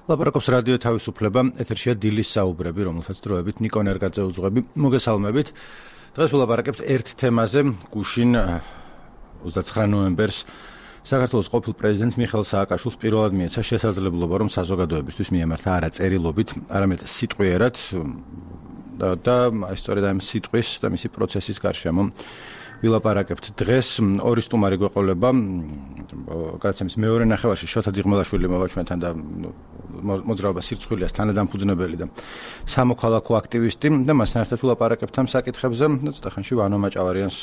ლაპარაკობს რადიო თავისუფლება, ეთერშია დილის საუბრები, რომელსაც დროებით ნიკო ნერგაძე უძღვები. მოგესალმებით. დღეს ვლაპარაკებთ ერთ თემაზე, გუშინ 29 ნოემბერს საქართველოს ყოფილ პრეზიდენტს მიხეილ სააკაშვილს პირველად მიეცა შესაძლებლობა, რომ საზოგადოებისთვის მიემართა არა წერილობით, არამედ სიტყვიერად და სწორედ ამ სიტყვის და მისი პროცესის გარშემო ვილაპარაკებთ. დღეს ორი სტუმარი გვეყოლება, გადაცემის მეორე ნახევარში შოთა დიღმელაშვილი მოვა ჩვენთან და მოძრაობა სირცხვილიას თანადამფუძნებელი და სამოქალაქო აქტივისტი და მასთან ერთად ვილაპარაკებთ ამ საკითხებზე. ცოტა ხანში ვანო მაჭავარიანს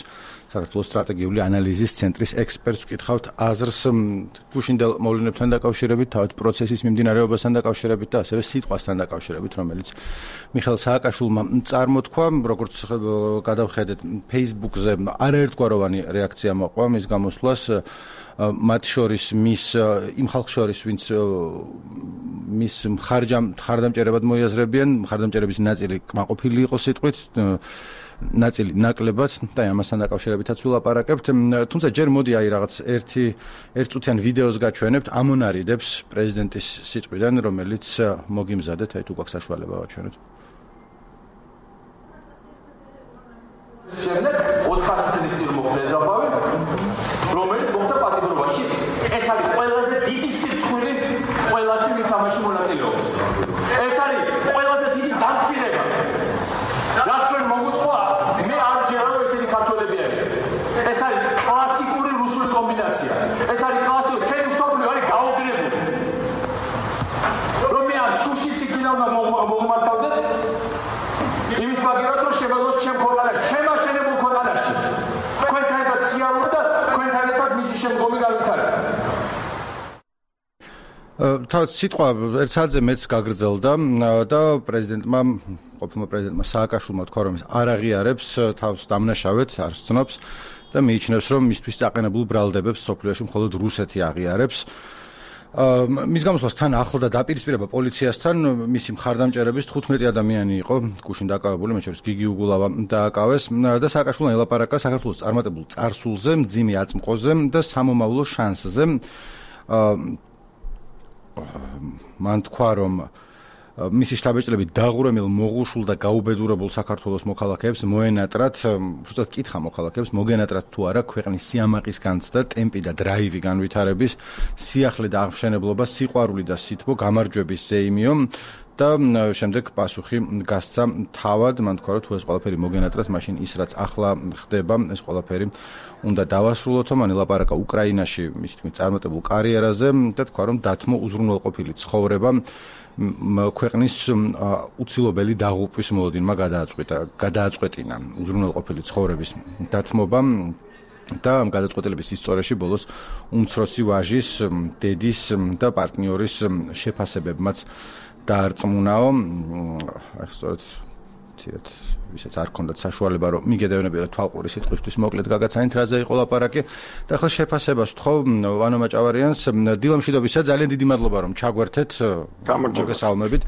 საქართველოს სტრატეგიული ანალიზის ცენტრის ექსპერტს ვკითხავთ აზრს გუშინდელ მოვლენებთან დაკავშირებით, თავად პროცესის მიმდინარეობასთან დაკავშირებით და ასევე სიტყვასთან დაკავშირებით, რომელიც მიხეილ სააკაშვილმა წარმოთქვა, როგორც გადავხედეთ Facebook-ზე არაერთგვაროვანი რეაქცია მოყვა მის გამოსვლას, მათ შორის იმ ხალხ შორის, ვინც მის მხარდამჭერებად მოიაზრებიან, მხარდამჭერების ნაწილი კმაყოფილი იყო სიტყვით, ნაწილი ნაკლებად და ამასთან დაკავშირებითაც ვილაპარაკებთ. თუმცა ჯერ მოდი რაღაც ერთწუთიან ვიდეოს გაჩვენებთ ამონარიდებს პრეზიდენტის სიტყვიდან, რომელიც მოგიმზადეთ, თუ გვაქვს საშუალება ვაჩვენოთ. შემდეგ 400 წლის წინ მოხდა ზაბავი, რომელიც მოხდა პატიმრობაში. ეს არის ყველაზე დიდი სირთულე ყველასი, ვინც ამაში მონაწილეობს. ეს არის ყველაზე დიდი დამცირება. რაც ჩვენ მოგვწვა, მე არ ჯერა რომ ესენი ქართველები არიან. ეს არის კლასიკური რუსული კომბინაცია. ეს არის კლასიკური ხელი სოფლიო არის გაუგრებული. რომ მე არ შუშის იქიდან მოგმართავდეთ იმის მაგერად რომ შემოძლოს ჩემ ქვეყანაში, ჩემ აშენებულ ქვეყანაში. თქვენთან ერთად სიარული და თქვენთან ერთად მისი შემდგომი განვითარება. თავად სიტყვა ერთ საათზე მეც გაგრძელდა და ყოფილმა პრეზიდენტმა სააკაშვილმა თქვა, რომ ის არ აღიარებს თავს დამნაშავედ, არ სცნობს და მიიჩნევს, რომ მისთვის დაყენებულ ბრალდებებს სოფლიოში მხოლოდ რუსეთი აღიარებს. მის გამოსვლას თან ახლდა დაპირისპირება პოლიციასთან, მისი მხარდამჭერების 15 ადამიანი იყო გუშინ დაკავებული, მათ შორის გიგი უგულავა დააკავეს და სააკაშვილმა ელაპარაკა საქართველოს წარმატებულ წარსულზე, მძიმე აწმყოზე და სამომავლო შანსზე. მან თქვა, რომ მისი შტაბ-ბიჭლები დაღურემილ, მოღუშულ და გაუბედურებულ საქართველოს მოქალაქეებს მოენატრათ, უბრალოდ კითხა მოქალაქეებს, მოგენატრათ თუ არა ქვეყნის სიამაყის განცდა, ტემპი და დრაივი განვითარების, სიახლე და აღმშენებლობა, სიყვარული და სითბო, გამარჯვების ზეიმიო და შემდეგ პასუხი გასცა თავად, მან თქვა, რომ თუ ეს ყველაფერი მოგენატრათ, მაშინ ის რაც ახლა ხდება, ეს ყველაფერი უნდა დავასრულოთო. მან ელაპარაკა უკრაინაში მისი თქმით წარმატებულ კარიერაზე და თქვა, რომ დათმო უზრუნველყოფილი ცხოვრება ქვეყნის უცილობელი დაღუპვის მოლოდინმა გადააწყვეტინა უზრუნველყოფილი ცხოვრების დათმობა და ამ გადაწყვეტილების ისტორიაში ბოლოს უმცროსი ვაჟის, დედის და პარტნიორის შეფასებებმაც დაარწმუნაო. სწორედ ცირად ვისაც არ ქონდათ საშუალება რომ მიგედევნებიათ თვალყური სიტყვისთვის მოკლედ გაგაცანით რაზე იყო ლაპარაკი და ახლა შეფასებას ვთხოვ ვანო მაჭავარიანს. დილამშვიდობისა, ძალიან დიდი მადლობა რომ ჩაგვერთეთ. მოგესალმებით.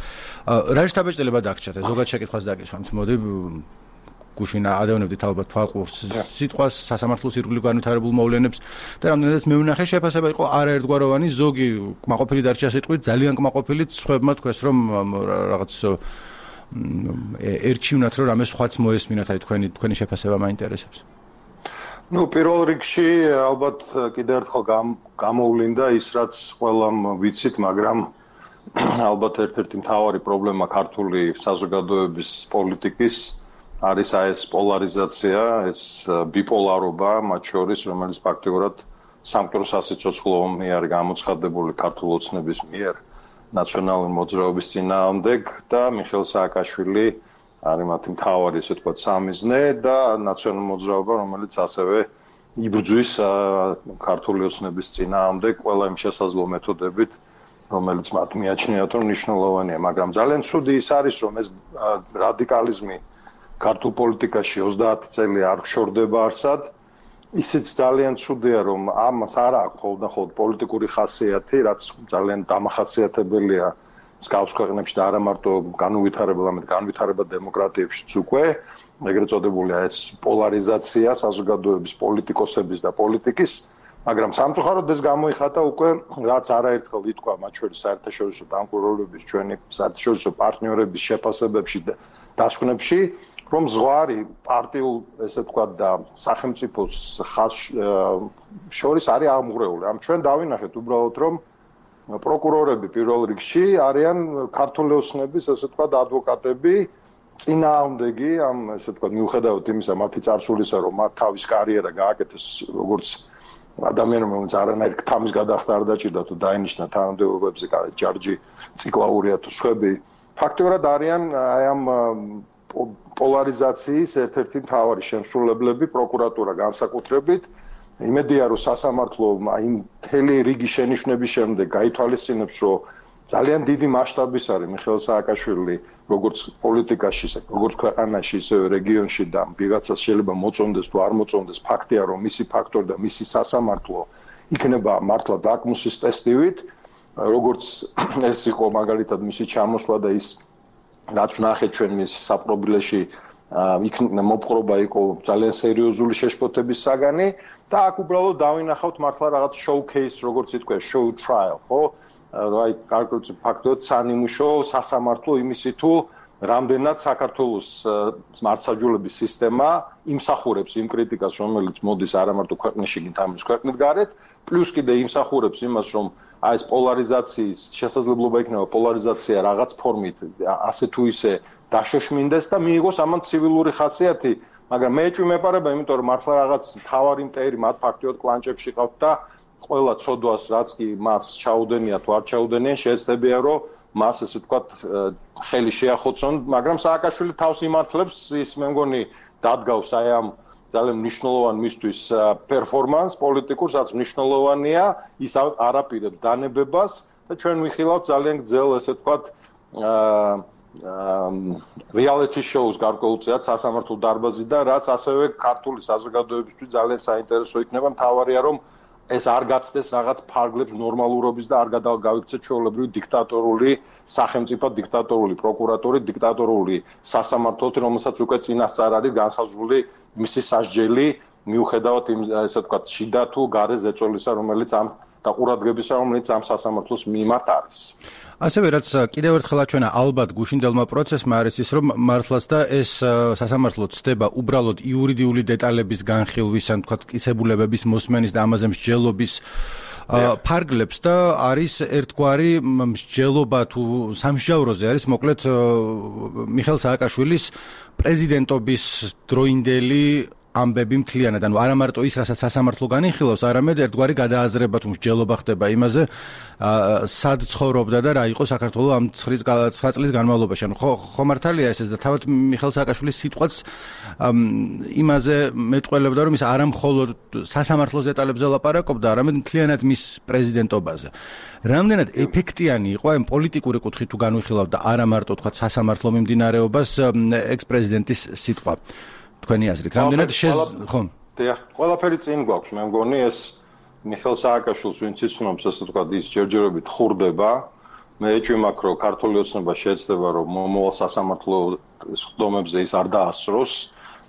რა შტაბ-ბიჭლება დაგჭათ? ზოგადად შეკითხვას დაგისვამთ. მოდი გუშინ ადევნებდით ალბათ თვალყურს სიტყვას, სასამართლოს ირგვლივ განვითარებულ მოვლენებს და რამდენადაც მე ვნახე შეფასება იყო არაერთგვაროვანი, ზოგი კმაყოფილი დარჩა სიტყვით, ძალიან კმაყოფილიც, სხვებმა თქვეს რომ რაღაც ერჩივნათ რომ რამე სხვაც მოესმინათ, აი თქვენი შეფასება მაინტერესებს. პირველ რიგში ალბათ კიდევ ერთხელ გამოვლინდა ის რაც ყველამ ვიცით, მაგრამ ალბათ ერთ-ერთი მთავარი პრობლემა ქართული საზოგადოების პოლიტიკის არის ეს პოლარიზაცია, ეს ბიპოლარობა მათ შორის, რომელიც ფაქტიურად სამკვდრო სასიცოცხლო არის გამოცხადებული ქართულ ოცნების მიერ ნაციონალური მოძრაობის წინააღმდეგ და მიხეილ სააკაშვილი არის მათი მთავარი, ესე ვთქვათ, სამიზნე და ნაციონალური მოძრაობა, რომელიც ასევე იბრძვის ქართული ოცნების წინააღმდეგ ყველა იმ შესაძლო მეთოდებით, რომელიც მათ მიაჩნიათ, რომ მნიშვნელოვანია, მაგრამ ძალიან ცუდი ის არის, რომ ეს რადიკალიზმი ქართულ პოლიტიკაში 30 წელი არ ხშორდება არსად. ისიც ძალიან ცუდია, რომ ამას არ აქვს ხოლმე პოლიტიკური ხასიათი, რაც ძალიან დამახასიათებელია მსგავს ქვეყნებში და არა მარტო განვითარება დემოკრატიებშიც უკვე, ეგრეთ წოდებულია ეს პოლარიზაცია საზოგადოების, პოლიტიკოსების და პოლიტიკის მაგრამ სამწუხაროდ ეს გამოიხატა უკვე რაც არაერთხელ ითქვა მათ შორის საერთაშორისო დამკვირვებლების ჩვენი საერთაშორისო პარტნიორების შეფასებებში და დასკვნებში რომ ზღვარი პარტიულ ესე ვთქვათ და სახელმწიფოს შორის არის აღმღვრეული. ამ ჩვენ დავინახეთ უბრალოდ რომ პროკურორები პირველ რიგში არიან ქართული ოსნების ესე ვთქვათ ადვოკატები წინააღმდეგი ამ ესე ვთქვათ მიუხედავად იმისა მათი წარსულისა რომ მათ თავის კარიერა გააკეთეს როგორც ადამიანებმა რომელიც არანაირ თამის გადახდა არ დაჭირდა თუ დაინიშნა თანამდებობებზე ჯარჯი ციკლაურია თუ სხვები ფაქტობრივად არიან აი ამ პოლარიზაციის ერთ-ერთი მთავარი შემსრულებლები პროკურატურა განსაკუთრებით იმედია რომ სასამართლო აი მთელი რიგი შენიშვნების შემდეგ გაითვალისწინებს რომ ძალიან დიდი მასშტაბის არის მიხეილ სააკაშვილი როგორც პოლიტიკაში, როგორც ქვეყანაში, ისე რეგიონში და ვიღაცას შეიძლება მოწონდეს თუ არ მოწონდეს ფაქტია რომ მისი ფაქტორი და მისი სასამართლო იქნება მართლა ლაკმუსის ტესტივით როგორც ეს იყო მაგალითად მისი ჩამოსვლა და ის რაც ვნახეთ ჩვენ მის საპრობილეში მოპყრობა იყო ძალიან სერიოზული შეშფოთების საგანი და აქ უბრალოდ დავინახავთ მართლა რაღაც showcase როგორც ითქვა show trial ხო აი კარგად ფაქტობრივად სანიმუშო სასამართლო იმისი თუ რამდენად საქართველოს მართლმსაჯულების სისტემა იმსახურებს იმ კრიტიკას რომელიც მოდის არა მარტო ქვეყნაში კიდე ამის ქვეყნით გარეთ პლუს კიდე იმსახურებს იმას რომ აი ეს პოლარიზაციის შესაძლებლობა იქნება პოლარიზაცია რაღაც ფორმით ასე თუ ისე დაშოშმინდეს და მიიღოს ამან ცივილური ხასიათი მაგრამ მე ეჭვმეპარება იმიტომ რომ მართლა რაღაც თავარი მტერი მათ ფაქტიოდ კლანჭებში ყავთ და ყველა ცოდვას რაც კი მას ჩაუდენია თუ არ ჩაუდენია შეეცდებია რომ მას ესე ვთქვათ ხელი შეახოცონ მაგრამ სააკაშვილი თავს იმართლებს ის მე მგონი დადგავს აი ამ ძალიან მნიშვნელოვან მისთვის პერფორმანს პოლიტიკურს რაც მნიშვნელოვანია ის არაპირებს დანებებას და ჩვენ ვიხილავთ ძალიან გრძელ ესე ვთქვათ reality shows გარკვეულწილად სასამართლო დარბაზიდან რაც ასევე ქართული საზოგადოებისთვის ძალიან საინტერესო იქნება მთავარია რომ ეს არ გაცდეს რაღაც ფარგლებს ნორმალურობის და არ გადავიქცეთ ჩვეულებრივი დიქტატორული სახელმწიფო დიქტატორული პროკურატურით დიქტატორული სასამართლოთი რომელსაც უკვე წინასწარ არის განსაზღვრული მისი სასჯელი მიუხედავად იმ ესე ვთქვათ შიდა თუ გარე ზეწოლისა რომელიც ამ და ყურადღებისა რომელიც ამ სასამართლოს მიმართ არის ასევე რაც კიდევ ერთხელ აჩვენა ალბათ გუშინდელმა პროცესმა არის ის რომ მართლაც და ეს სასამართლო ცდება უბრალოდ იურიდიული დეტალების განხილვის ან თქვათ კისებულებების მოსმენის და ამაზე მსჯელობის ფარგლებს და არის ერთგვარი მსჯელობა თუ სამსჯავროზე არის მოკლედ მიხეილ სააკაშვილის პრეზიდენტობის დროინდელი ამბები მთლიანად, ანუ არა მარტო ის, რასაც სასამართლო განიხილავს, არამედ ერთგვარი გადააზრება თუ მსჯელობა ხდება იმაზე, სად ცხოვრობდა და რა იყო საქართველოს ამ 9 წლის განმავლობაში. ანუ ხო მართალია ეს და თავად მიხეილ სააკაშვილის სიტყვაც იმაზე მეტყველებდა, რომ ის არა მხოლოდ სასამართლოს დეტალებზე ლაპარაკობდა, არამედ მთლიანად მის პრეზიდენტობაზე. რამდენად ეფექტიანი იყო ამ პოლიტიკური კუთხით თუ განვიხილავთ და არა მარტო თქვა სასამართლო მიმდინარეობას ექს-პრეზიდენტის სიტყვა. თქვენი აზრით, რამდენად ხო? დიახ, ყველაფერი წინ გვაქვს, მე მგონი ეს მიხეილ სააკაშვილს ვინც იცნობს, ასე ვთქვათ, ის ჯერჯერობით ხურდება. მე ეჭვმაქვს, რომ ქართული ოცნება შეეცდება, რომ მომავალ სასამართლო ხდომებზე ის არ დაასწროს,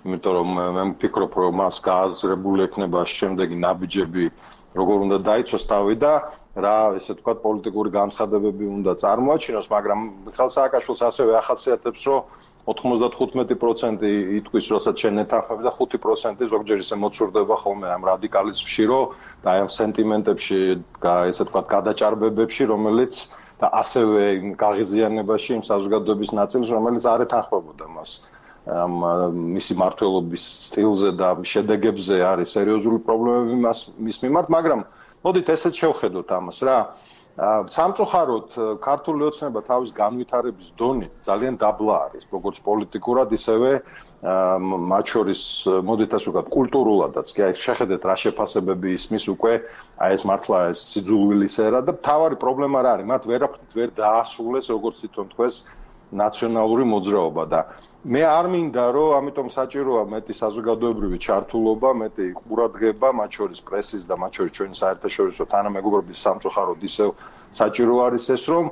იმიტომ რომ მე ვფიქრობ, რომ მას გააზრებული ექნება შემდეგი ნაბიჯები, როგორ უნდა დაიცვას თავი და რა, ესე ვთქვათ, პოლიტიკური განცხადებები უნდა წარმოაჩინოს, მაგრამ მიხეილ სააკაშვილს ასევე ახასიათებს, რომ 95% იტყვის, როცა ჩვენ ეთანხმები და 5% ზოგჯერ ისე მოცურდება ხოლმე ამ რადიკალიზმში, რომ და აი ამ სენტიმენტებში, ესე ვთქვათ, გადაჭარბებებში, რომელიც და ასევე გაღიზიანებაში იმ საზოგადოების ნაწილს, რომელიც არ ეთანხმებოდა მას. მისი მმართველობის სტილზე და შედეგებზე არის სერიოზული პრობლემები მის მიმართ, მაგრამ მოდით ესეც შევხედოთ ამას რა. სამწუხაროდ ქართული ოცნება თავის განვითარების დონით ძალიან დაბლა არის, როგორც პოლიტიკურად, ისევე მათ შორის მოდით ასე ვთქვათ, კულტურულადაც. კი აი შეხედეთ რა შეფასებები ისმის უკვე აი ეს მართლა ეს სიძულვილის ერა და მთავარი პრობლემა რა არის? მათ ვერაფრით ვერ დაასრულეს, როგორც თვითონ თქვეს, ნაციონალური მოძრაობა და მე არ მინდა რომ ამიტომ საჭიროა მეტი საზოგადოებრივი ჩართულობა, მეტი ყურადღება, მათ შორის პრესის და მათ შორის ჩვენი საერთაშორისო თანამეგობრობის სამწუხაროდ ისევ საჭირო არის ეს რომ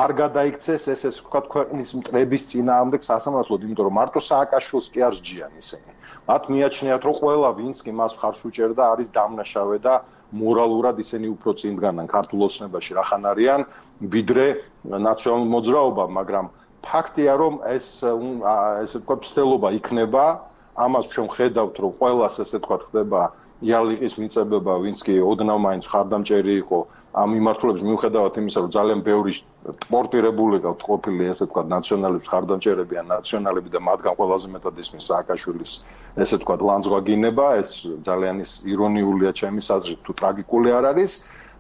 არ გადაიქცეს ეს ვთქვათ ქვეყნის მტრების წინააღმდეგ სასამართლოდ, იმიტომ რომ მარტო სააკაშვილს კი არ სჯიან ისინი. მათ მიაჩნიათ რომ ყველა ვინც კი მას მხარს უჭერდა არის დამნაშავე და მორალურად ისინი უფრო წინ დგანან ქართულ ოცნებაში რახან არიან ვიდრე ნაციონალურ მოძრაობა, მაგრამ ფაქტია რომ ესე თქვა ცდელობა იქნება, ამას ჩვენ ხედავთ რომ ყველას ესე თქვა ხდება იარლიყის მიწებება, ვინც კი ოდნავ მაინც ხარდამჭერი იყო ამ მიმართულების მიუხედავად იმისა, რომ ძალიან ბევრი სპორტირებული ყავთ ყოფილი ესე თქვა ნაციონალების ხარდამჭერები ან ნაციონალები და მათგან ყველაზე მეტად ისმის სააკაშვილის ესე თქვა ლანძღვაგინება, ეს ძალიან ირონიულია ჩემის აზრით, თუ ტრაგიკული არ არის,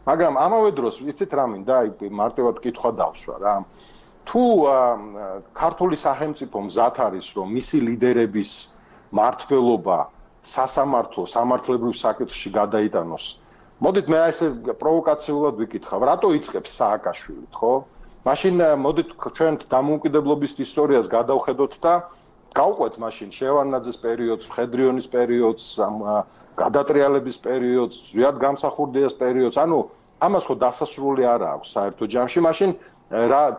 მაგრამ ამავე დროს ვიცით რა მინდა, მარტივად კითხვა დავსვა რა. თუ ქართული სახელმწიფო მზად არის, რომ მისი ლიდერების მმართველობა სასამართლო, სამართლებრივ საკითხში გადაიტანოს. მოდით მე ესე პროვოკაციულად ვიკითხავ, რატო იწყებს სააკაშვილით, ხო? მაშინ მოდით ჩვენ დამოუკიდებლობის ისტორიას გადავხედოთ და გავყვეთ მაშინ შევარდნაძის პერიოდს, მხედრიონის პერიოდს, გადატრიალების პერიოდს, ზვიად გამსახურდიას პერიოდს. ანუ ამას ხო დასასრული არ აქვს საერთო ჯამში. მაშინ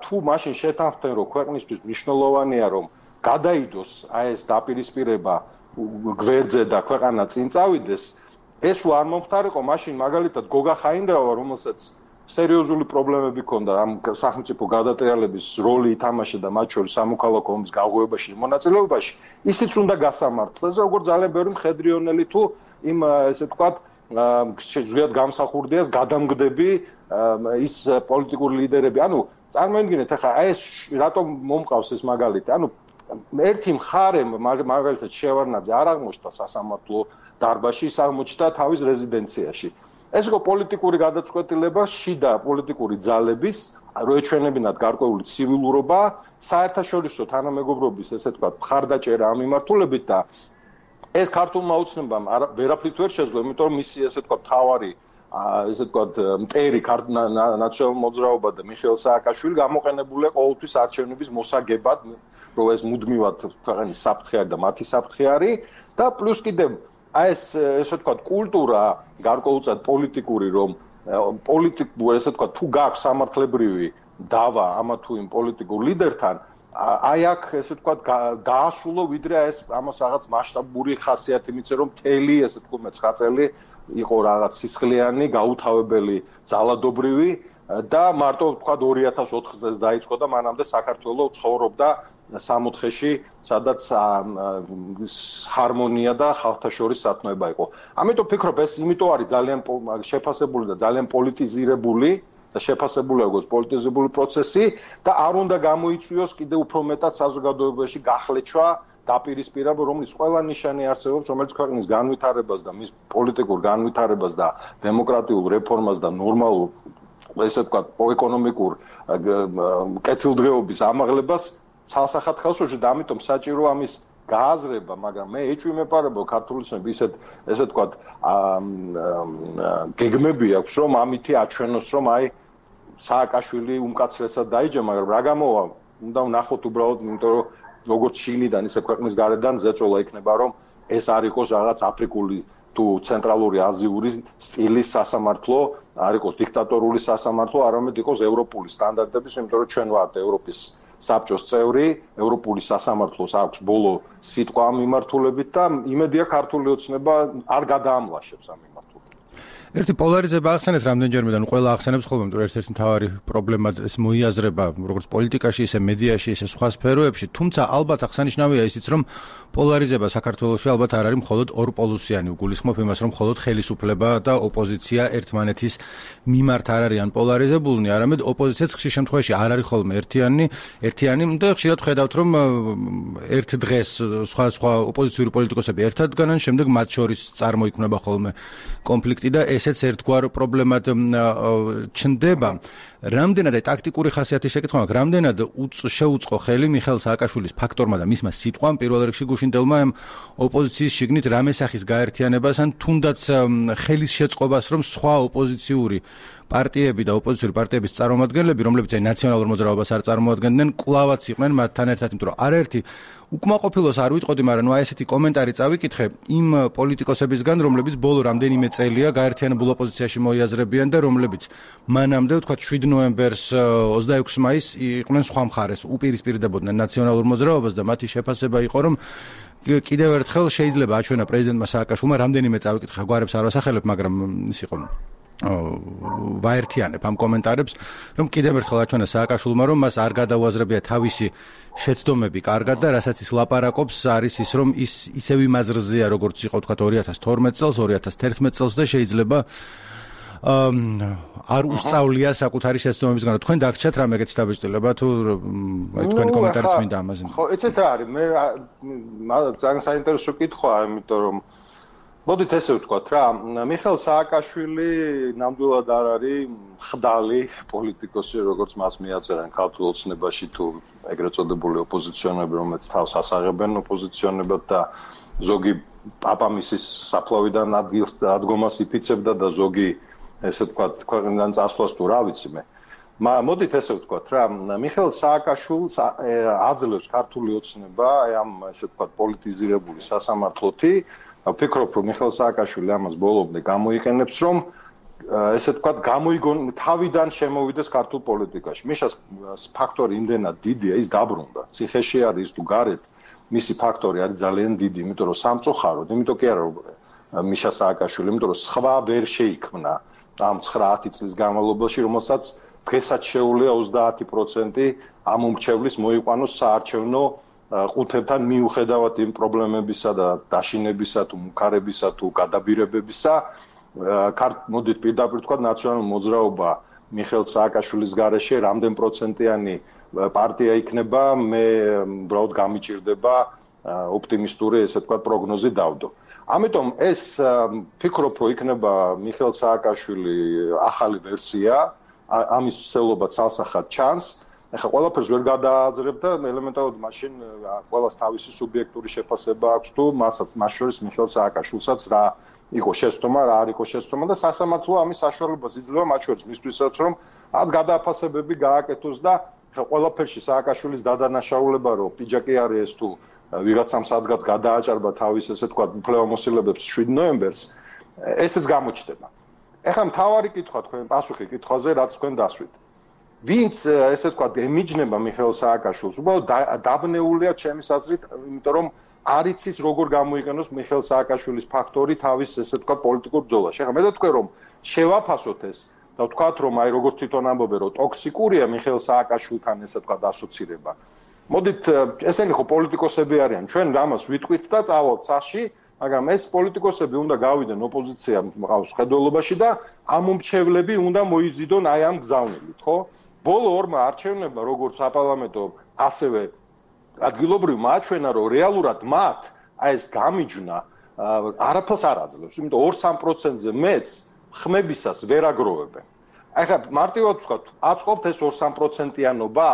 თუ მაშინ შეთანხმდნენ, რომ ქვეყნისთვის მნიშვნელოვანია, რომ გადაიდოს ეს დაპირისპირება გვერდზე და ქვეყანა წინ წავიდეს, ეს არ მომხდარიყო, მაშინ მაგალითად გოგა ხაინდრავა, რომელსაც სერიოზული პრობლემები ჰქონდა ამ სახელმწიფო გადატრიალების როლი ითამაშა მათ შორის სამოქალაქო ომის გაღვივებაში, მონაწილეობაში, ისიც უნდა გასამართლეს, როგორც ძალიან ბევრი მხედრიონელი თუ იმ ესე ვთქვათ, ზოგადად გამსახურდიას გადამგდები ის პოლიტიკური ლიდერები. ანუ წარმოიდგინეთ, ახლა ეს რატომ მომყავს ეს მაგალითი? ანუ ერთი მხარე მაგალითად შევარდნაძე არ აღმოჩნდა სასამართლო დარბაზში, ის აღმოჩნდა თავის რეზიდენციაში. ეს იყო პოლიტიკური გადაწყვეტილება, შიდა პოლიტიკური ძალების, რო ეჩვენებინათ გარკვეული ცივილურობა, საერთაშორისო თანამეგობრობის, ესე ვთქვათ, მხარდაჭერა ამ მიმართულებით და ეს ქართულმა ოცნებამ ვერაფრით ვერ შეძლო, იმიტომ რომ მისი ესე ვთქვათ, თავარი, ესე ვთქვათ, მტერი ნაციონალურ მოძრაობა და მიხეილ სააკაშვილი გამოყენებულია ყოველთვის არჩევნების მოსაგებად, რომ ეს მუდმივად ქვეყნის საფრთხე არის და მათი საფრთხე არის და პლუს კიდევ ესე ვთქვათ, კულტურა გარკვეულწილად პოლიტიკური, რომ პოლიტიკურ ესე ვთქვათ, თუ გაქვს სამართლებრივი დავა ამა თუ იმ პოლიტიკურ ლიდერთან, აი აქ ესე ვთქვათ, დაასრულო ვიდრე ეს ამას რაღაც მასშტაბური ხასიათი მიცე, რომ მთელი ესე ვთქვათ, 9 წელი იყო რაღაც სისხლიანი, გაუთავებელი, ძალადობრივი და მარტო ვთქვათ 2004 წელს დაიწყო და მანამდე საქართველოს ცხოვრობდა 64-ში, სადაც ჰარმონია და ხალხთა შორის სათნოება იყო. ამიტომ ვფიქრობ, ეს იმიტომ არის ძალიან შეფასებული და ძალიან პოლიტიზირებული და შეფასებული როგორც პოლიტიზებული პროცესი და არ უნდა გამოიწვიოს კიდევ უფრო მეტად საზოგადოებაში გახლეჩვა, დაპირისპირება, რომლის ყველა ნიშანი არსებობს, რომელიც ქვეყნის განვითარებას და მის პოლიტიკურ განვითარებას და დემოკრატიულ რეფორმას და ნორმალურ ესე ვთქვათ, ეკონომიკურ კეთილდღეობის ამაღლებას ცალსახად ხელს უშლის და ამიტომ საჭირო ამის გააზრება, მაგრამ მე ეჭვი მეპარება ქართული ოცნები ისეთ ესე ვთქვათ გეგმები აქვს, რომ ამითი აჩვენოს, რომ აი სააკაშვილი უმკაცრესად დაიჯა, მაგრამ რა გამოვა, უნდა ვნახოთ უბრალოდ, იმიტომ რომ როგორც შინიდან ისე ქვეყნის გარედან ზეწოლა იქნება, რომ ეს არ იყოს რაღაც აფრიკული თუ ცენტრალური აზიური სტილის სასამართლო, არ იყოს დიქტატორული სასამართლო, არამედ იყოს ევროპული სტანდარტების, იმიტომ რომ ჩვენ ვართ ევროპის საბჭოს წევრი, ევროპული სასამართლოს აქვს ბოლო სიტყვა ამ მიმართულებით და იმედია ქართული ოცნება არ გადაამლაშებს ამ მიმართულებით. ერთი პოლარიზება ახსენეთ რამდენჯერმე და ყველა ახსენებს ხოლმე, რომ ერთ-ერთი მთავარი პრობლემა ეს მოიაზრება როგორც პოლიტიკაში, ისე მედიაში, ისე სხვა სფეროებში, თუმცა ალბათ აღსანიშნავია ისიც, რომ პოლარიზება საქართველოში ალბათ არ არის მხოლოდ ორპოლუსიანი, გულისხმობ იმას, რომ მხოლოდ ხელისუფლება და ოპოზიცია ერთმანეთის მიმართ არ არიან პოლარიზებულნი, არამედ ოპოზიციაც ხშირ შემთხვევაში არ არის ხოლმე ერთიანი და ხშირად ხედავთ, რომ ერთ დღეს სხვა ოპოზიციური პოლიტიკოსები ერთად დგანან, შემდეგ მათ შორის წარმოიქმნება ხოლმე კონფლიქტი და ესეც ერთგვარ პრობლემად ჩნდება. რამდენად ტაქტიკური ხასიათის შეკითხვა მაქვს, რამდენად შეუწყო ხელი მიხეილ სააკაშვილის ფაქტორმა და მისმა სიტყვამ პირველ რიგში გუშინდელმა ოპოზიციის შიგნით რამე სახის გაერთიანებას ან თუნდაც ხელის შეწყობას, რომ სხვა ოპოზიციური პარტიები და ოპოზიციური პარტიების წარმომადგენლები, რომლებიც აი ნაციონალურ მოძრაობას არ წარმოადგენდნენ, კვლავაც იყვნენ მათთან ერთად, იმიტომ რომ არაერთი უკმაყოფილოს არ ვიტყოდი, მაგრამ აი ესეთი კომენტარი წავიკითხე იმ პოლიტიკოსებისგან, რომლებიც ბოლო რამდენიმე წელია გაერთიანებულ ოპოზიციაში მოიაზრებიან და რომლებიც მანამდე ვთქვათ 7 ნოემბერს 26 მაისს იყვნენ სხვა მხარეს, უპირისპირდებოდნენ ნაციონალურ მოძრაობას და მათი შეფასება იყო, რომ კიდევ ერთხელ შეიძლება აჩვენა პრეზიდენტმა სააკაშვილმა რამდენიმე წავიკითხა გვარებს არ ვასახელებ, მაგრამ ის იყო ვაერთიანებ ამ კომენტარებს, რომ კიდევ ერთხელ აჩვენა სააკაშვილმა, რომ მას არ გადაუაზრებია თავისი შეცდომები კარგად და რასაც ის ლაპარაკობს, არის ის, რომ ის ისევ იმ აზრზეა, როგორც იყო თქვა 2012 წელს, 2011 წელს და შეიძლება არ უსწავლია საკუთარი შეცდომებისგან. თქვენ დაგჭათ რამე ეგეთი დაბეჭდილება თუ აი თქვენი კომენტარიც მინდა ამაზე. ხო, ეცეთ რა არის? მე ძალიან საინტერესო კითხვაა, იმიტომ რომ მოდით ესე ვთქვათ რა, მიხეილ სააკაშვილი ნამდვილად არ არის ხდალი პოლიტიკოსი, როგორც მას მიაწერენ ქართულ ოცნებაში თუ ეგრეთ წოდებული ოპოზიციონერები, რომელიც თავს ასაღებენ ოპოზიციონერებად და ზოგი პაპამისის საფლავიდან ადგომას იფიცებდა და ზოგი ესე ვთქვათ, ქვეყნიდან წასვლას თუ რა ვიცი მე. მოდით ესე ვთქვათ რა, მიხეილ სააკაშვილს აძლევს ქართული ოცნება ამ ესე ვთქვათ პოლიტიზირებული სასამართლოთი. ვფიქრობ, რომ მიხეილ სააკაშვილი ამას ბოლომდე გამოიყენებს, რომ ესე ვთქვათ, თავიდან შემოვიდეს ქართულ პოლიტიკაში. მიშას ფაქტორი იმდენად დიდია, ის დაბრუნდა. ციხეში არის თუ გარეთ, მისი ფაქტორი არის ძალიან დიდი, იმიტომ რომ სამწუხაროდ, იმიტომ კი არა რომ მიშა სააკაშვილი, იმიტომ რომ სხვა ვერ შეიქმნა ამ 9-10 წლის განმავლობაში, რომელსაც დღესაც შეუძლია 30% ამ უმრჩევლის მოიყვანოს საარჩევნო ყუთებთან მიუხედავად იმ პრობლემებისა და დაშინებისა თუ მუქარებისა თუ გადაბირებებისა. მოდით პირდაპირ თქვა ნაციონალური მოძრაობა მიხეილ სააკაშვილის გარეშე რამდენ პროცენტიანი პარტია იქნება, მე უბრალოდ გამიჭირდება ოპტიმისტური ესე თქვა პროგნოზი დავდო. ამიტომ ეს ფიქრობ, რომ იქნება მიხეილ სააკაშვილი ახალი ვერსია, ამის ცელობა ცალსახად ჩანს. ეხლა ყველაფერს ვერ გადაააზრებ და ელემენტარულად მაშინ ყველას თავისი სუბიექტური შეფასება აქვს თუ მასაც მას შორის მიხეილ სააკაშვილსაც რა იყო შეცდომა, რა არ იყო შეცდომა და სასამართლო ამის საშუალებას იძლევა მათ შორის მისთვისაც, რომ რაც გადააფასებები გააკეთოს და ყველაფერში სააკაშვილის დადანაშაულება, რომ პიჯაკი არის ეს თუ ვიღაცამ სადღაც გადააჭარბა თავის ესე თქვა უფლებამოსილებებს 7 ნოემბერს, ესეც გამოჩნდება. ეხლა მთავარი კითხვა თქვენ პასუხი კითხვაზე, რაც თქვენ დასვით. ვინც ესე თქვა ემიჯნება მიხეილ სააკაშვილს, უბრალოდ დაბნეულია ჩემის აზრით, იმიტომ რომ არ იცის როგორ გამოიყენოს მიხეილ სააკაშვილის ფაქტორი თავის ესე თქვა პოლიტიკურ ბრძოლაში. ეხლა მე თქვენ რომ შევაფასოთ ეს და ვთქვათ რომ აი როგორც თვითონ ამბობენ რომ ტოქსიკურია მიხეილ სააკაშვილთან ესე თქვა ასოცირება. მოდით ესენი ხო პოლიტიკოსები არიან, ჩვენ რამას ვიტყვით და წავალთ სახში, მაგრამ ეს პოლიტიკოსები უნდა გავიდნენ ოპოზიცია მყავს ხედველობაში და ამ უმრჩევლები უნდა მოიზიდონ აი ამ გზავნილით, ხო? ბოლო ორმა არჩევნებმა როგორც საპარლამენტო, ასევე ადგილობრივმა აჩვენა, რომ რეალურად მათ აი ეს გამიჯვნა არაფერს არ აძლევს, იმიტომ 2-3%-ზე მეც ხმებისას ვერ აგროვებენ. ეხლა მარტივად ვთქვათ, აწყობთ ეს 2-3%-იანობა,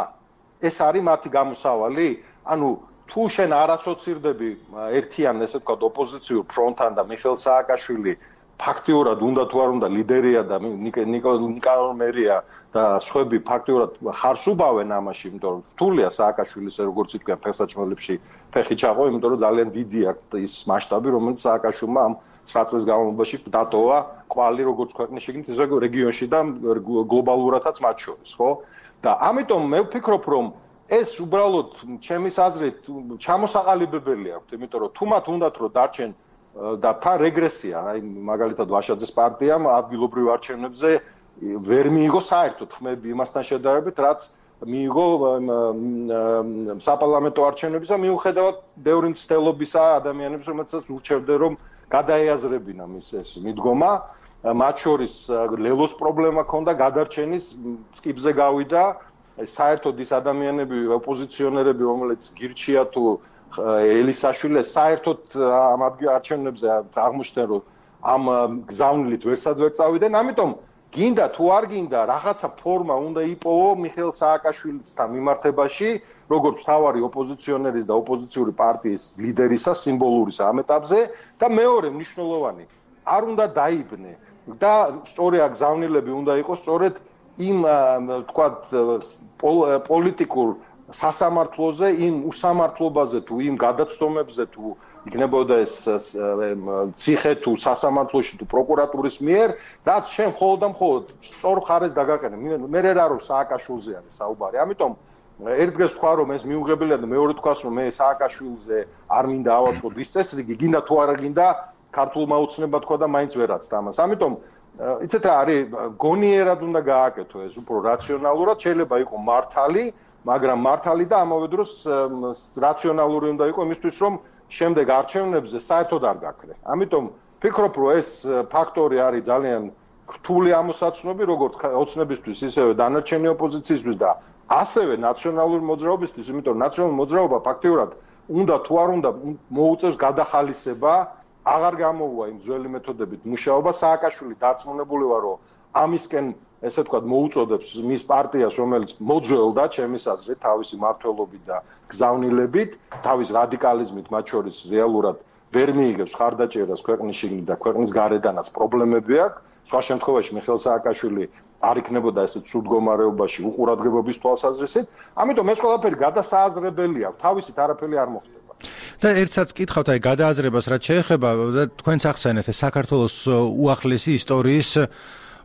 ეს არის მათი გამოსავალი, ანუ თუ შენ არ ასოცირდები ერთიან ესე ვთქვათ ოპოზიციურ ფრონტთან და მიხეილ სააკაშვილი ფაქტიურად უნდა თუ არ უნდა ლიდერია და ნიკოლოზ მერია და სხვები ფაქტიურად ხარს უბავენ ამაში, იმიტომ რომ რთულია სააკაშვილის როგორც თქვენ ფეხსაჩმელებში ფეხი ჩაყო, იმიტომ რომ ძალიან დიდი აქვს ის მასშტაბი, რომელიც სააკაშვილმა ამ 9 წელს განმავლობაში დატოვა კვალი როგორც ქვეყნის შიგნით, ისე რეგიონში და გლობალურადაც მათ შორის, ხო? და ამიტომ მე ვფიქრობ, რომ ეს უბრალოდ ჩემის აზრით ჩამოსაყალიბებელი აქვს, იმიტომ რომ თუ მათ უნდათ რომ დარჩენ და თან რეგრესია, აი მაგალითად ვაშაძეს პარტიამ ადგილობრივ არჩევნებზე ვერ მიიღო საერთოდ ხმები იმასთან შედარებით, რაც მიიღო საპარლამენტო არჩევნებისა, მიუხედავად ბევრი მცდელობისა ადამიანებს, რომელსაც ურჩევდნენ რომ გადაეაზრებინა მის ეს მიდგომა, მათ შორის ლელოს პრობლემა ჰქონდა, გადარჩენის წკიბზე გავიდა, საერთოდ ის ადამიანები, ოპოზიციონერები, რომელიც გირჩია თუ ელისაშვილი საერთოდ ამ არჩევნებზე აღმოჩნდნენ, რომ ამ გზავნილით ვერსად ვერ წავიდნენ, ამიტომ გინდა თუ არ გინდა, რაღაცა ფორმა უნდა იპოვო მიხეილ სააკაშვილისთან მიმართებაში, როგორც მთავარი ოპოზიციონერის და ოპოზიციური პარტიის ლიდერისა, სიმბოლურისა ამ ეტაპზე და მეორე მნიშვნელოვანი, არ უნდა დაიბნე და სწორი გზავნილები უნდა იყოს სწორედ იმ თქვათ პოლიტიკურ სასამართლოზე, იმ უსამართლობაზე თუ იმ გადაცდომებზე თუ იქნებოდა ეს ციხე თუ სასამართლოში თუ პროკურატურის მიერ, რაც შენ მხოლოდ და მხოლოდ სწორ ხარეს დაგაყენე. მე რა რომ სააკაშვილზე არის საუბარი. ამიტომ ერთ დღეს თქვა რომ ეს მიუღებელია და მეორე თქვას რომ მე სააკაშვილზე არ მინდა ავაწყოთ ის წესრიგი, გინდა თუ არა გინდა ქართულმა უცნება თქვა და მაინც ვერაცდა ამას. ამიტომ იცით რა არის, გონიერად უნდა გააკეთო ეს უფრო რაციონალურად, შეიძლება იყოს მართალი, მაგრამ მართალი და ამავე დროს რაციონალური უნდა იყოს იმისთვის რომ შემდეგ არჩევნებზე საერთოდ არ გაქრე. ამიტომ ფიქრობ რომ ეს ფაქტორი არის ძალიან რთული ამოსაცნობი როგორც ოცნებისთვის, ისევე დანარჩენი ოპოზიციისთვის და ასევე ნაციონალური მოძრაობისთვის, იმიტომ რომ ნაციონალური მოძრაობა ფაქტიურად უნდა თუ არ უნდა მოუწევს გადახალისება, აღარ გამოუვა იმ ძველი მეთოდებით მუშაობა. სააკაშვილი დარწმუნებული ვარ, რომ ამისკენ ესე ვთქვათ მოუწოდებს მის პარტიას, რომელიც მოძველდა ჩემის აზრით თავისი მმართველობით და გზავნილებით, თავის რადიკალიზმით, მათ შორის რეალურად ვერ მიიგებს ხარდაჭერას ქვეყნის შიგნით და ქვეყნის გარედანაც პრობლემები აქვს. სხვა შემთხვევაში მიხეილ სააკაშვილი არ იქნებოდა ესეთ სულ მდგომარეობაში უყურადღებობის თვალსაზრისით. ამიტომ ეს ყველაფერი გადასააზრებელია, თავისით არაფერი არ მოხდება. და ერთსაც კითხავთ აი გადააზრებას რაც შეეხება და თქვენს ახსენეთ საქართველოს უახლესი ისტორიის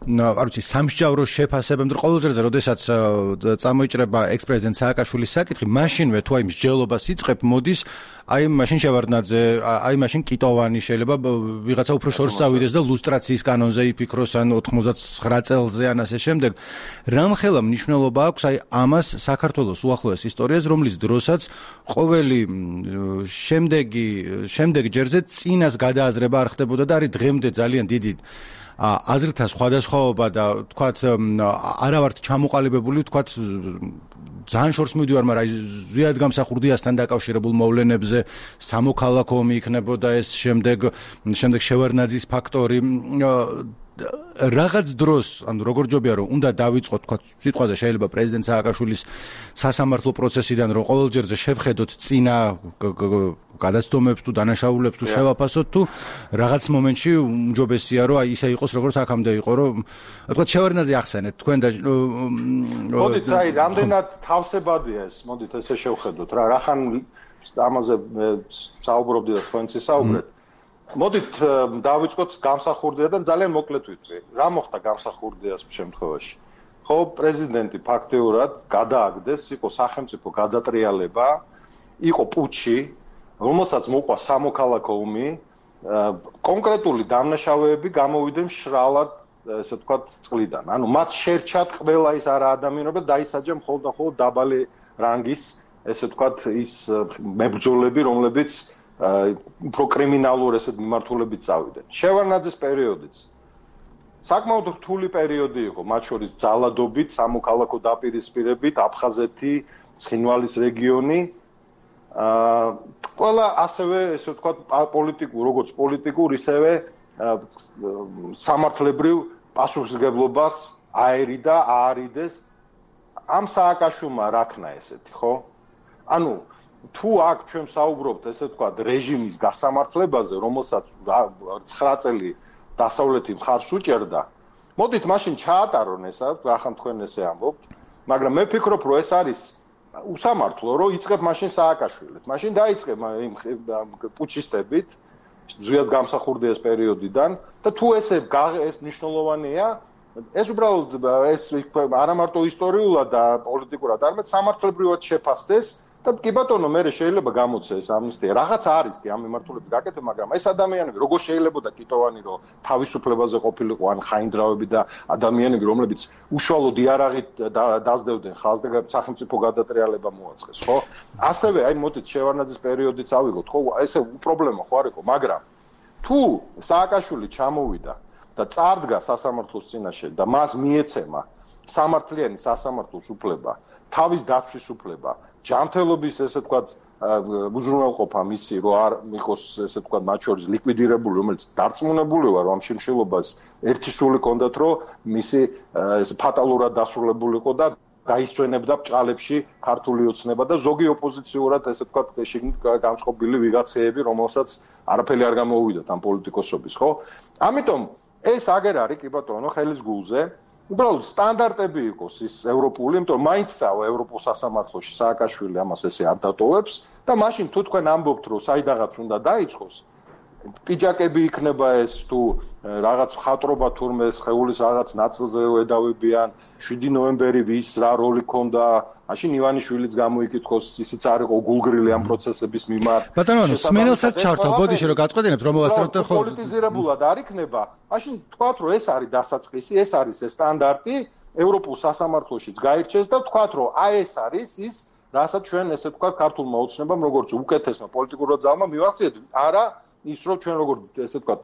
არ ვიცი სამსჯავრო შეფასებამდე ყოველ ჯერზე როდესაც წამოიჭრება ექს-პრეზიდენტ სააკაშვილის საკითხი, მაშინვე თუ აი მსჯელობას იწყებ, მოდის აი მაშინ შევარდნაძე, აი მაშინ კიტოვანი შეიძლება ვიღაცა უფრო შორს წავიდეს და ლუსტრაციის კანონზე იფიქროს ან 99 წელზე ან ასე შემდეგ. რამხელა მნიშვნელობა აქვს აი ამას საქართველოს უახლოეს ისტორიას, რომლის დროსაც ყოველი შემდეგ ჯერზე წინას გადააზრება არ ხდებოდა და არის დღემდე ძალიან დიდი აზრთა სხვადასხვაობა და თქვათ არა ვართ ჩამოყალიბებული, თქვათ ძალიან შორს მივდივარ, მაგრამ ზვიად გამსახურდიასთან დაკავშირებულ მოვლენებზე სამოქალაქო ომი იქნებოდა ეს, შემდეგ შევარდნაძის ფაქტორი. რაღაც დროს, ანუ როგორ ჯობია რომ უნდა დავიწყოთ თქვა სიტყვაზე შეიძლება პრეზიდენტ სააკაშვილის სასამართლო პროცესიდან რომ ყოველ ჯერზე შევხედოთ წინა გადაცდომებს თუ დანაშაულებს თუ შევაფასოთ თუ რაღაც მომენტში უმჯობესია რომ აი ისე იყოს როგორც აქამდე იყო რომ თქვა შევარდნაძე ახსენეთ თქვენ და მოდით აი რამდენად თავსებადია ეს, მოდით ესე შევხედოთ რა რახან ამაზე საუბრობდი და თქვენც ისაუბრეთ. მოდით დავიწყოთ გამსახურდიასთან ძალიან მოკლედ ვიტყვი. რა მოხდა გამსახურდიას შემთხვევაში? ხო, პრეზიდენტი ფაქტიურად გადააგდეს, იყო სახელმწიფო გადატრიალება, იყო პუჩი, რომელსაც მოყვა სამოქალაქო ომი, კონკრეტული დამნაშავეები გამოვიდნენ შრალად, ესე ვთქვათ, წყლიდან. ანუ მათ შერჩათ ყველა ის არა ადამიანობა, დაისაჯა მხოლოდ და მხოლოდ დაბალი რანგის, ესე ვთქვათ, ის მებრძოლები, რომლებიც უფრო კრიმინალურ ესეთ მიმართულებით წავიდნენ. შევარდნაძის პერიოდიც საკმაოდ რთული პერიოდი იყო, მათ შორის ძალადობით, სამოქალაქო დაპირისპირებით, აფხაზეთი, ცხინვალის რეგიონი. ყველა ასევე ესე ვთქვათ როგორც პოლიტიკურ, ისევე სამართლებრივ პასუხისმგებლობას აერიდა, აარიდეს ამ სააკაშვილმა რაქნა ესეთი, ხო? ანუ თუ აქ ჩვენ საუბრობთ ესე ვთქვათ რეჟიმის გასამართლებაზე, რომელსაც 9 წელი დასავლეთი მხარს უჭერდა, მოდით მაშინ ჩაატარონ ესა, ახლა თქვენ ესე ამბობთ, მაგრამ მე ვფიქრობ, რომ ეს არის უსამართლო, რომ იწყებ მაშინ სააკაშვილით. მაშინ დაიწყებ იმ პუჩისტებით, ზვიად გამსახურდიას პერიოდიდან და თუ ეს მნიშვნელოვანია, ეს უბრალოდ ეს არა მარტო ისტორიულად და პოლიტიკურად, არამედ სამართლებრივად შეფასდეს. და კი ბატონო, მე შეიძლება გამოცეს ამნისტია. რაღაც არის კი ამ მიმართულებით გაკეთე, მაგრამ ეს ადამიანები როგორ შეიძლებოდა კიტოვანი რომ თავისუფლებაზე ყოფილიყო ან ხაინდრავები და ადამიანები, რომლებიც უშუალოდ იარაღით დაძდევდნენ ხალხს და სახელმწიფო გადატრიალება მოაწყეს, ხო? ასევე აი მოდით შევარდნაძის პერიოდიც ავიღოთ, ხო? ესე პრობლემა ხო არ იყო, მაგრამ თუ სააკაშვილი ჩამოვიდა და წარდგა სასამართლოს წინაშე და მას მიეცემა სამართლიანი სასამართლოს უფლება, თავის დაცვის უფლება, ჯანმრთელობის ესე ვთქვათ უზრუნველყოფა მისი რომ არ მიყოს ესე ვთქვათ მათ შორის ლიკვიდირებული, რომელიც დარწმუნებული ვარ რომ ამ შემშელობას ერთი სული ჰქონდათ რომ მისი ეს ფატალურად დასრულებულიყო და დაისვენებდა ბჭყალებში ქართული ოცნება და ზოგი ოპოზიციურად ესე ვთქვათ შიგნით გამწყობილი ვიღაცეები, რომელსაც არაფერი არ გამოუვიდათ ამ პოლიტიკოსობის, ხო? ამიტომ ეს აგერ არის კი ბატონო ხელის გულზე. უბრალოდ სტანდარტები იყოს ის ევროპული, იმიტომ რომ მაინც წავა ევროპულ სასამართლოში სააკაშვილი ამას ესე არ დატოვებს და მაშინ თუ თქვენ ამბობთ რომ საიდანაც უნდა დაიწყოს, პიჯაკები იქნება ეს თუ რაღაც ხატრობა თურმე სხეულის რაღაც ნაწილზე ედავებიან 7 ნოემბერი ვის რა როლი ქონდა მაშინ ივანიშვილიც გამოიკითხოს ისიც არ იყო გულგრილი ამ პროცესების მიმართ ბატონო სმენელსაც ჩართო ბოდიში რომ გაწყვეტინებთ რომ მოვასწრებთ ხო პოლიტიზირებულად არ იქნება მაშინ თქვათ რომ ეს არის დასაწყისი ეს არის ეს სტანდარტი ევროპულ სასამართლოშიც გაირჩეს და თქვათ რომ აი ეს არის ის რასაც ჩვენ ესე ვთქვათ ქართულმა ოცნებამ როგორც უკეთესმა პოლიტიკურად ძალმა მივახციეთ არა ის რომ ჩვენ როგორ ესე ვთქვათ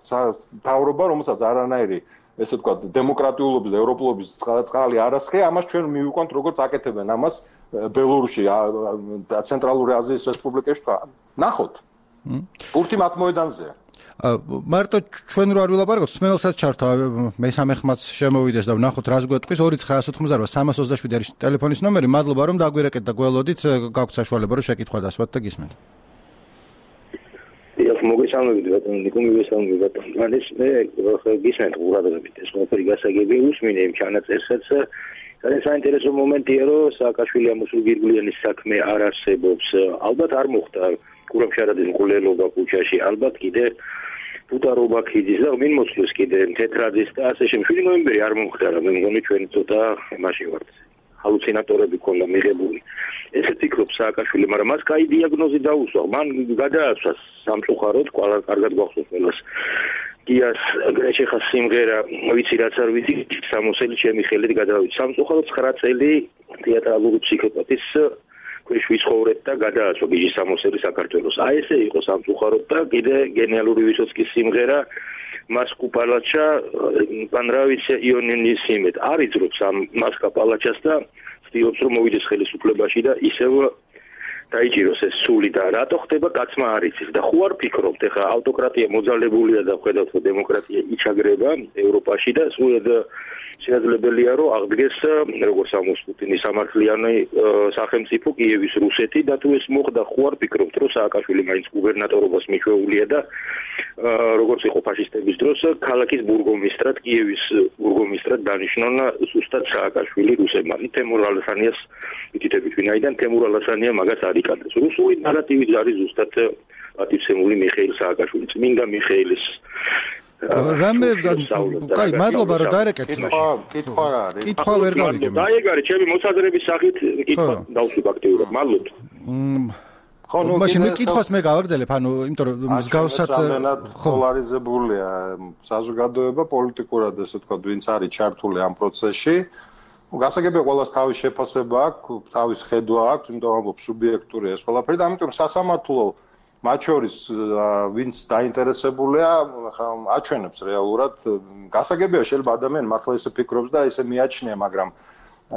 თავრობა რომელსაც არანაირი ესე ვთქვათ დემოკრატიულობის და ევროპულობის წყალი არასხე ამას ჩვენ მივიყვანთ როგორც აკეთებენ ამას ბელორუსში და ცენტრალური აზიის რესპუბლიკებში ნახოთ პურტი მათ მოედანზეა მარტო ჩვენ რო არ ვილაპარაკოთ სმენელსაც ჩართო მესამე ხმაც შემოვიდეს და ვნახოთ რას გვეტყვის 2988 არის ტელეფონის ნომერი მადლობა რომ დაგვირეკეთ და გველოდით გაქვთ საშუალება რომ შეკითხვა დასვათ და გისმენთ მოგესალმებით ბატონო ნიკო მოგესალმებით ბატონო ეს მე გისმენთ ყურადღებით ეს ყველაფერი გასაგებია უსმინე იმ ჩანაწერსაც ძალიან საინტერესო მომენტია რომ სააკაშვილი ამოსულგირგვლიანის საქმე არ არსებობს ალბათ არ მოხდა კურამშარაძის მკვლელობა ქუჩაში ალბათ კიდე ფუტარობა ქიძის და ვინ მოსვლის კიდე თეთრაძის და ასე შემდეგ 7 ნოემბერი არ მომხდარა მე მგონი ჩვენ ცოტა მაშინ ვართ ჰალუცინატორები ქონდა მიღებული ესე ფიქრობ სააკაშვილი მაგრამ მას კაი დიაგნოზი დაუსვა მან გადააცვა სამწუხაროდ კარგად გვახსოვს ყველას გიას გრეჩეხას სიმღერა ვიცი რაც არ ვიცი სამოსელი ჩემი ხელით გადავიცი სამწუხაროდ 9 წელი თეატრალური ფსიქოპათის ქვეშ ვიცხოვრეთ და გადააცვა გიჟი სამოსელი საქართველოს აი ესე იყო სამწუხაროდ და კიდე გენიალური ვისოცკის სიმღერა მასკუ პალაჩა პანრავიცია იონინის იმეთ არიძრობს ამ მასკა პალაჩას და ცდილობს რომ მოვიდეს ხელისუფლებაში და ისევ დაიჭიროს ეს სული და რატო ხდება კაცმა არ იცის და ხო არ ფიქრობთ ეხა ავტოკრატია მოძალებულია და ხედავთ რომ დემოკრატია იჩაგრება ევროპაში და სულად შესაძლებელია რომ აღდგეს როგორც ამოს პუტინის სამართლიანი სახელმწიფო კიევის რუსეთი და თუ ეს მოხდა ხო არ ფიქრობთ რომ სააკაშვილი მაინც გუბერნატორობას მიჩვეულია და როგორც იყო ფაშისტების დროს ქალაქის ბურგომისტრად კიევის ბურგომისტრად დანიშნონ ზუსტად სააკაშვილი რუსებმა თემურ ალასანიას ითითებით ვინაიდან თემურ ალასანია მაგას არ იკადრეს რუსული ნარატივი არის ზუსტად პატივცემული მიხეილ სააკაშვილი წმინდა მიხეილის რამე კაი მადლობა რომ დაერეკეთ კითხვა რა არის კითხვა ვერ გავიგე დაეგარი ჩემი მოსაზრების სახით კითხვა დავსვი აქტიურად მადლობთ ხო ნუ მაშინ მე კითხვას მე გავაგრძელებ ანუ იმიტომ რომ მსგავსად პოლარიზებულია საზოგადოება პოლიტიკურად ესე ვთქვა ვინც არის ჩართული ამ პროცესში გასაგებია ყველას თავის შეფასება აქვს თავის ხედვა აქვს იმიტომ რომ სუბიექტურია ეს ყველაფერი და ამიტომ სასამართლო მათ შორის ვინც დაინტერესებულია აჩვენებს რეალურად გასაგებია შეიძლება ადამიანი მართლა ესე ფიქრობს და ესე მიაჩნია მაგრამ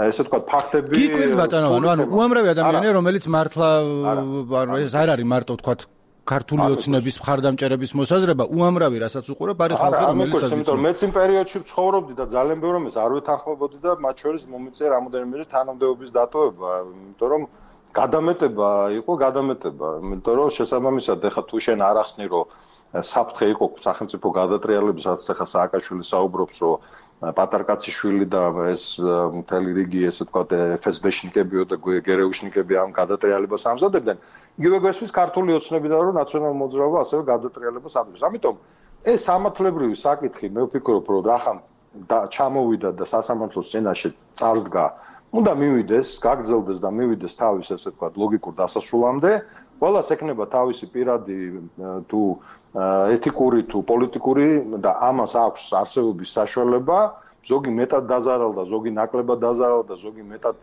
ესე ვთქვათ ფაქტები გიკვირთ ბატონო ანუ უამრავი ადამიანი რომელიც მართლა ეს არ არის მარტო ვთქვათ ქართული ოცნების მხარდამჭერების მოსაზრება უამრავი რასაც უყურებ არის ხალხი რომელიც იმიტომ მეც იმ პერიოდში ვცხოვრობდი და ძალიან ბევრი რამეს არ ვეთანხმებოდი და მათ შორის მომიწია რამოდენიმე თანამდებობის დატოვება იმიტომ რომ გადამეტება იყო იმიტომ რომ შესაბამისად ეხა თუ შენ არ ახსნი რომ საფრთხე იყო სახელმწიფო გადატრიალებისაც ეხა სააკაშვილი საუბრობს რომ პატარკაციშვილი და ეს მთელი რიგი ესე ვთქვათ FSB-შნიკებიო და გერეუშნიკები ამ გადატრიალებას ამზადებდნენ იგივე გვესვის ქართული ოცნებიდან რომ ნაციონალურ მოძრაობა ასევე გადატრიალებას აპირებს ამიტომ ეს სამართლებრივი საკითხი მე ვფიქრობ რომ რახან ჩამოვიდა და სასამართლოს წინაშე წარსდგა უნდა მივიდეს, გაგრძელდეს და მივიდეს თავის ესე ვთქვათ ლოგიკურ დასასრულამდე, ყველას ექნება თავისი პირადი თუ ეთიკური თუ პოლიტიკური და ამას აქვს არსებობის საშუალება, ზოგი მეტად დაზარალდა, ზოგი ნაკლებად დაზარალდა, ზოგი მეტად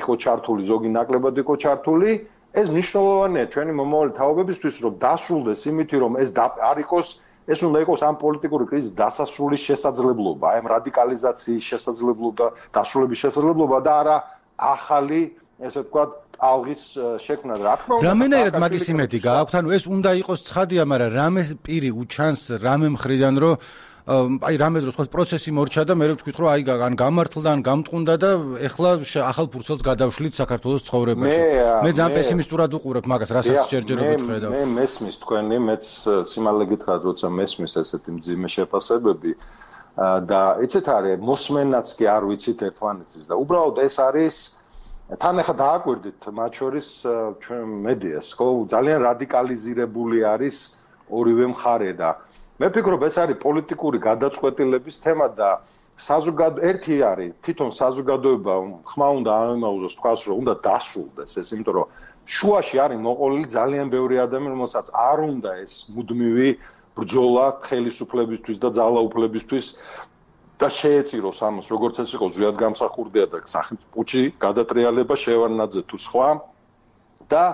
იყო ჩართული, ზოგი ნაკლებად იყო ჩართული, ეს მნიშვნელოვანია ჩვენი მომავალი თაობებისთვის, რომ დასრულდეს იმითი, რომ ეს არ იყოს ეს უნდა იყოს ამ პოლიტიკური კრიზისის დასასრულის შესაძლებლობა, აი ამ რადიკალიზაციის შესაძლებლობა, დასრულების შესაძლებლობა და არა ახალი, ესე ვთქვათ, ალღის შექმნა. რა თქმა უნდა, რამენაირად მაგის იმედი გააქვთ, ანუ ეს უნდა იყოს ცხადია, მაგრამ რამე პირი უჩანს რამე მხრიდან, რომ აი რამე დროს ხო პროცესი მორჩა და მე ვთქვით რომ აი ან გამართლდა ან გამტყუნდა და ეხლა ახალ ფურცელს გადავშლით საქართველოს ცხოვრებაში. მე ძალიან პესიმისტურად უყურებ მაგას, რასაც ჯერჯერობით ხედავ. მე მესმის თქვენი, მეც სიმალე გითხრათ, როცა მესმის ესეთი მძიმე შეფასებები და იცით არის მოსმენაც კი არ ვიცით ერთმანეთის და უბრალოდ ეს არის თან ახლა დააკვირდით მათ შორის ჩვენ მედიას, ხო ძალიან რადიკალიზირებული არის ორივე მხარე და მე ვფიქრობ ეს არის პოლიტიკური გადაწყვეტილების თემა და ერთი არის თვითონ საზოგადოება ხმა უნდა ამემაუზოს თქვას რომ უნდა დასრულდეს ეს იმიტომ რომ შუაში არის მოყოლილი ძალიან ბევრი ადამიანი რომელსაც არ უნდა ეს მუდმივი ბრძოლა ხელისუფლებისთვის და ძალაუფლებისთვის და შეეწიროს ამას როგორც ეს იყო ზვიად გამსახურდია და სახელმწიფოში გადატრიალება შევარნაძე თუ სხვა და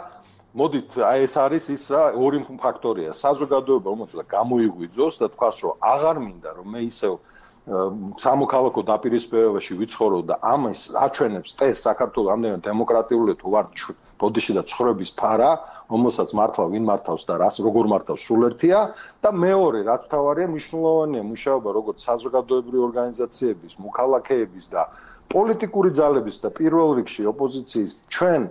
მოდით აი ეს არის ის ორი ფაქტორია საზოგადოება უმოწოდა გამოიღვიძოს და თქვას რომ აღარ მინდა რომ მე ისევ სამოქალაქო დაპირისპირებაში ვიცხოვრო და ამას აჩვენებს წეს საქართველოს ამდენად დემოკრატიული თუ ვარ ბოდიში და ცხოვრების ფარა რომელსაც მართლა ვინ მართავს და რას როგორ მართავს სულ ერთია და მეორე რაც თავარია მნიშვნელოვანია მუშაობა როგორც საზოგადოებრივი ორგანიზაციების მოქალაქეების და პოლიტიკური ძალების და პირველ რიგში ოპოზიციის ჩვენ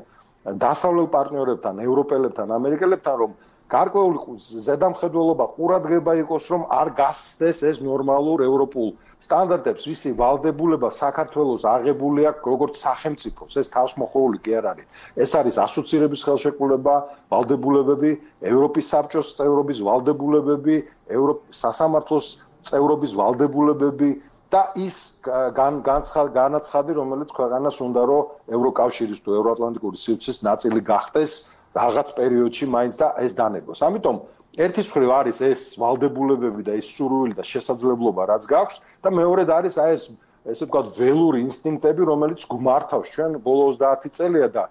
დასავლელ პარტნიორებთან ევროპელებთან ამერიკელებთან რომ გარკვეული ზედამხედველობა ყურადღება იყოს რომ არ გასცდეს ეს ნორმალურ ევროპულ სტანდარტებს ვისი ვალდებულება საქართველოს აღებული აქვს როგორც სახელმწიფოს ეს თავისმოყრული კი არ არის ეს არის ასოცირების ხელშეკრულება ვალდებულებები ევროპის საბჭოს წევრობის ვალდებულებები სასამართლოს წევრობის ვალდებულებები და ის განაცხადი რომელიც ქვეყანას უნდა რომ ევროკავშირის თუ ევროატლანტიკური სივრცის ნაწილი გახდეს რაღაც პერიოდში მაინც და ეს დანებოს ამიტომ ერთის მხრივ არის ეს ვალდებულებები და ეს სურვილი და შესაძლებლობა რაც გაქვს და მეორედ არის აი ეს ესე ვთქვათ ველური ინსტინქტები რომელიც გვმართავს ჩვენ ბოლო 30 წელია და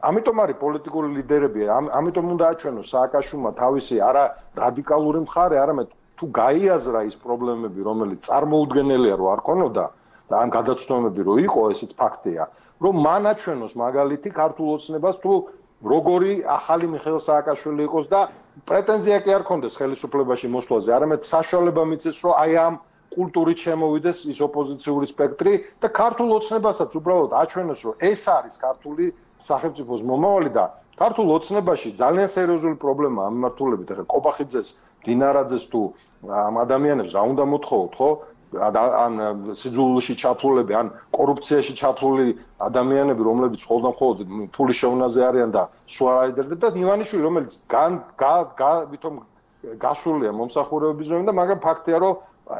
ამიტომ არის პოლიტიკური ლიდერები ამიტომ უნდა აჩვენოს სააკაშვილმა თავისი არა რადიკალური მხარე არამედ თუ გაიაზრა ის პრობლემები რომელიც წარმოუდგენელია რომ არ ქონოდა და ამ გადაცნობები რომ იყო ესეც ფაქტია რომ მან აჩვენოს მაგალითი ქართულ ოცნებას თუ როგორი ახალი მიხეილ სააკაშვილი იყოს და პრეტენზია კი არ ქონდეს ხელისუფლებაში მოსვლაზე, არამედ საშუალება მიწეს, რომ აი ამ კულტურით შემოვიდეს ის ოპოზიციური სპექტრი და ქართულ ოცნებასაც უბრალოდ აჩვენოს, რომ ეს არის ქართული სახელმწიფოს მომავალი და ქართულ ოცნებაში ძალიან სერიოზული პრობლემაა მიმართულებით. ახლა კობახიძეს, დინარაძეს თუ ამ ადამიანებს რა უნდა მოთხოვოთ, ხო? ან სიძულვილში ჩაფლულები, ან კორუფციაში ჩაფლული ადამიანები, რომლებიც მხოლოდ ფულის შეუნაზე არიან და სუარაიდერები და ივანიშვილი, რომელიც ვითომ გასულია მომსახურებების ზონიდან და მაგრამ ფაქტია, რომ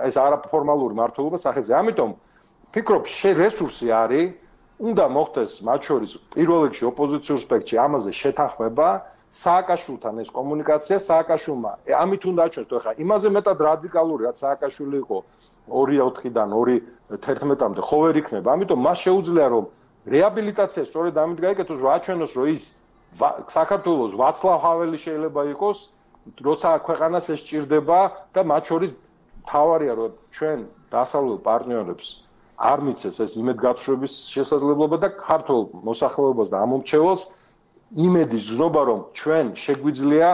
ეს არაფორმალური მართლობა სახეზე. ამიტომ ფიქრობ, რესურსი არის, უნდა მოხდეს მათ შორის პირველ რიგში ოპოზიციურ სპექტრში ამაზე შეთანხმება, სააკაშვილთან ეს კომუნიკაცია, სააკაშვილმა ამით უნდა აჩვენოს, თუ ახლა იმაზე მეტად რადიკალური, რაც სააკაშვილი იყო 2-4-დან 2-11-მდე ხო ვერ იქნება. ამიტომ მას შეუძლია რომ რეაბილიტაცია სწორედ ამით გაიკეთოს, რომ აჩვენოს, რომ ის საქართველოს ვაცლავ ჰაველი შეიძლება იყოს, როცა ქვეყანას ეს სჭირდება და მათ შორის თავარია, რომ ჩვენ დასავლელ პარტნიორებს არ მიცეს ეს იმედგაცრუების შესაძლებლობა და ქართულ მოსახლეობას და ამომრჩეველს იმედის ზნობა, რომ ჩვენ შეგვიძლია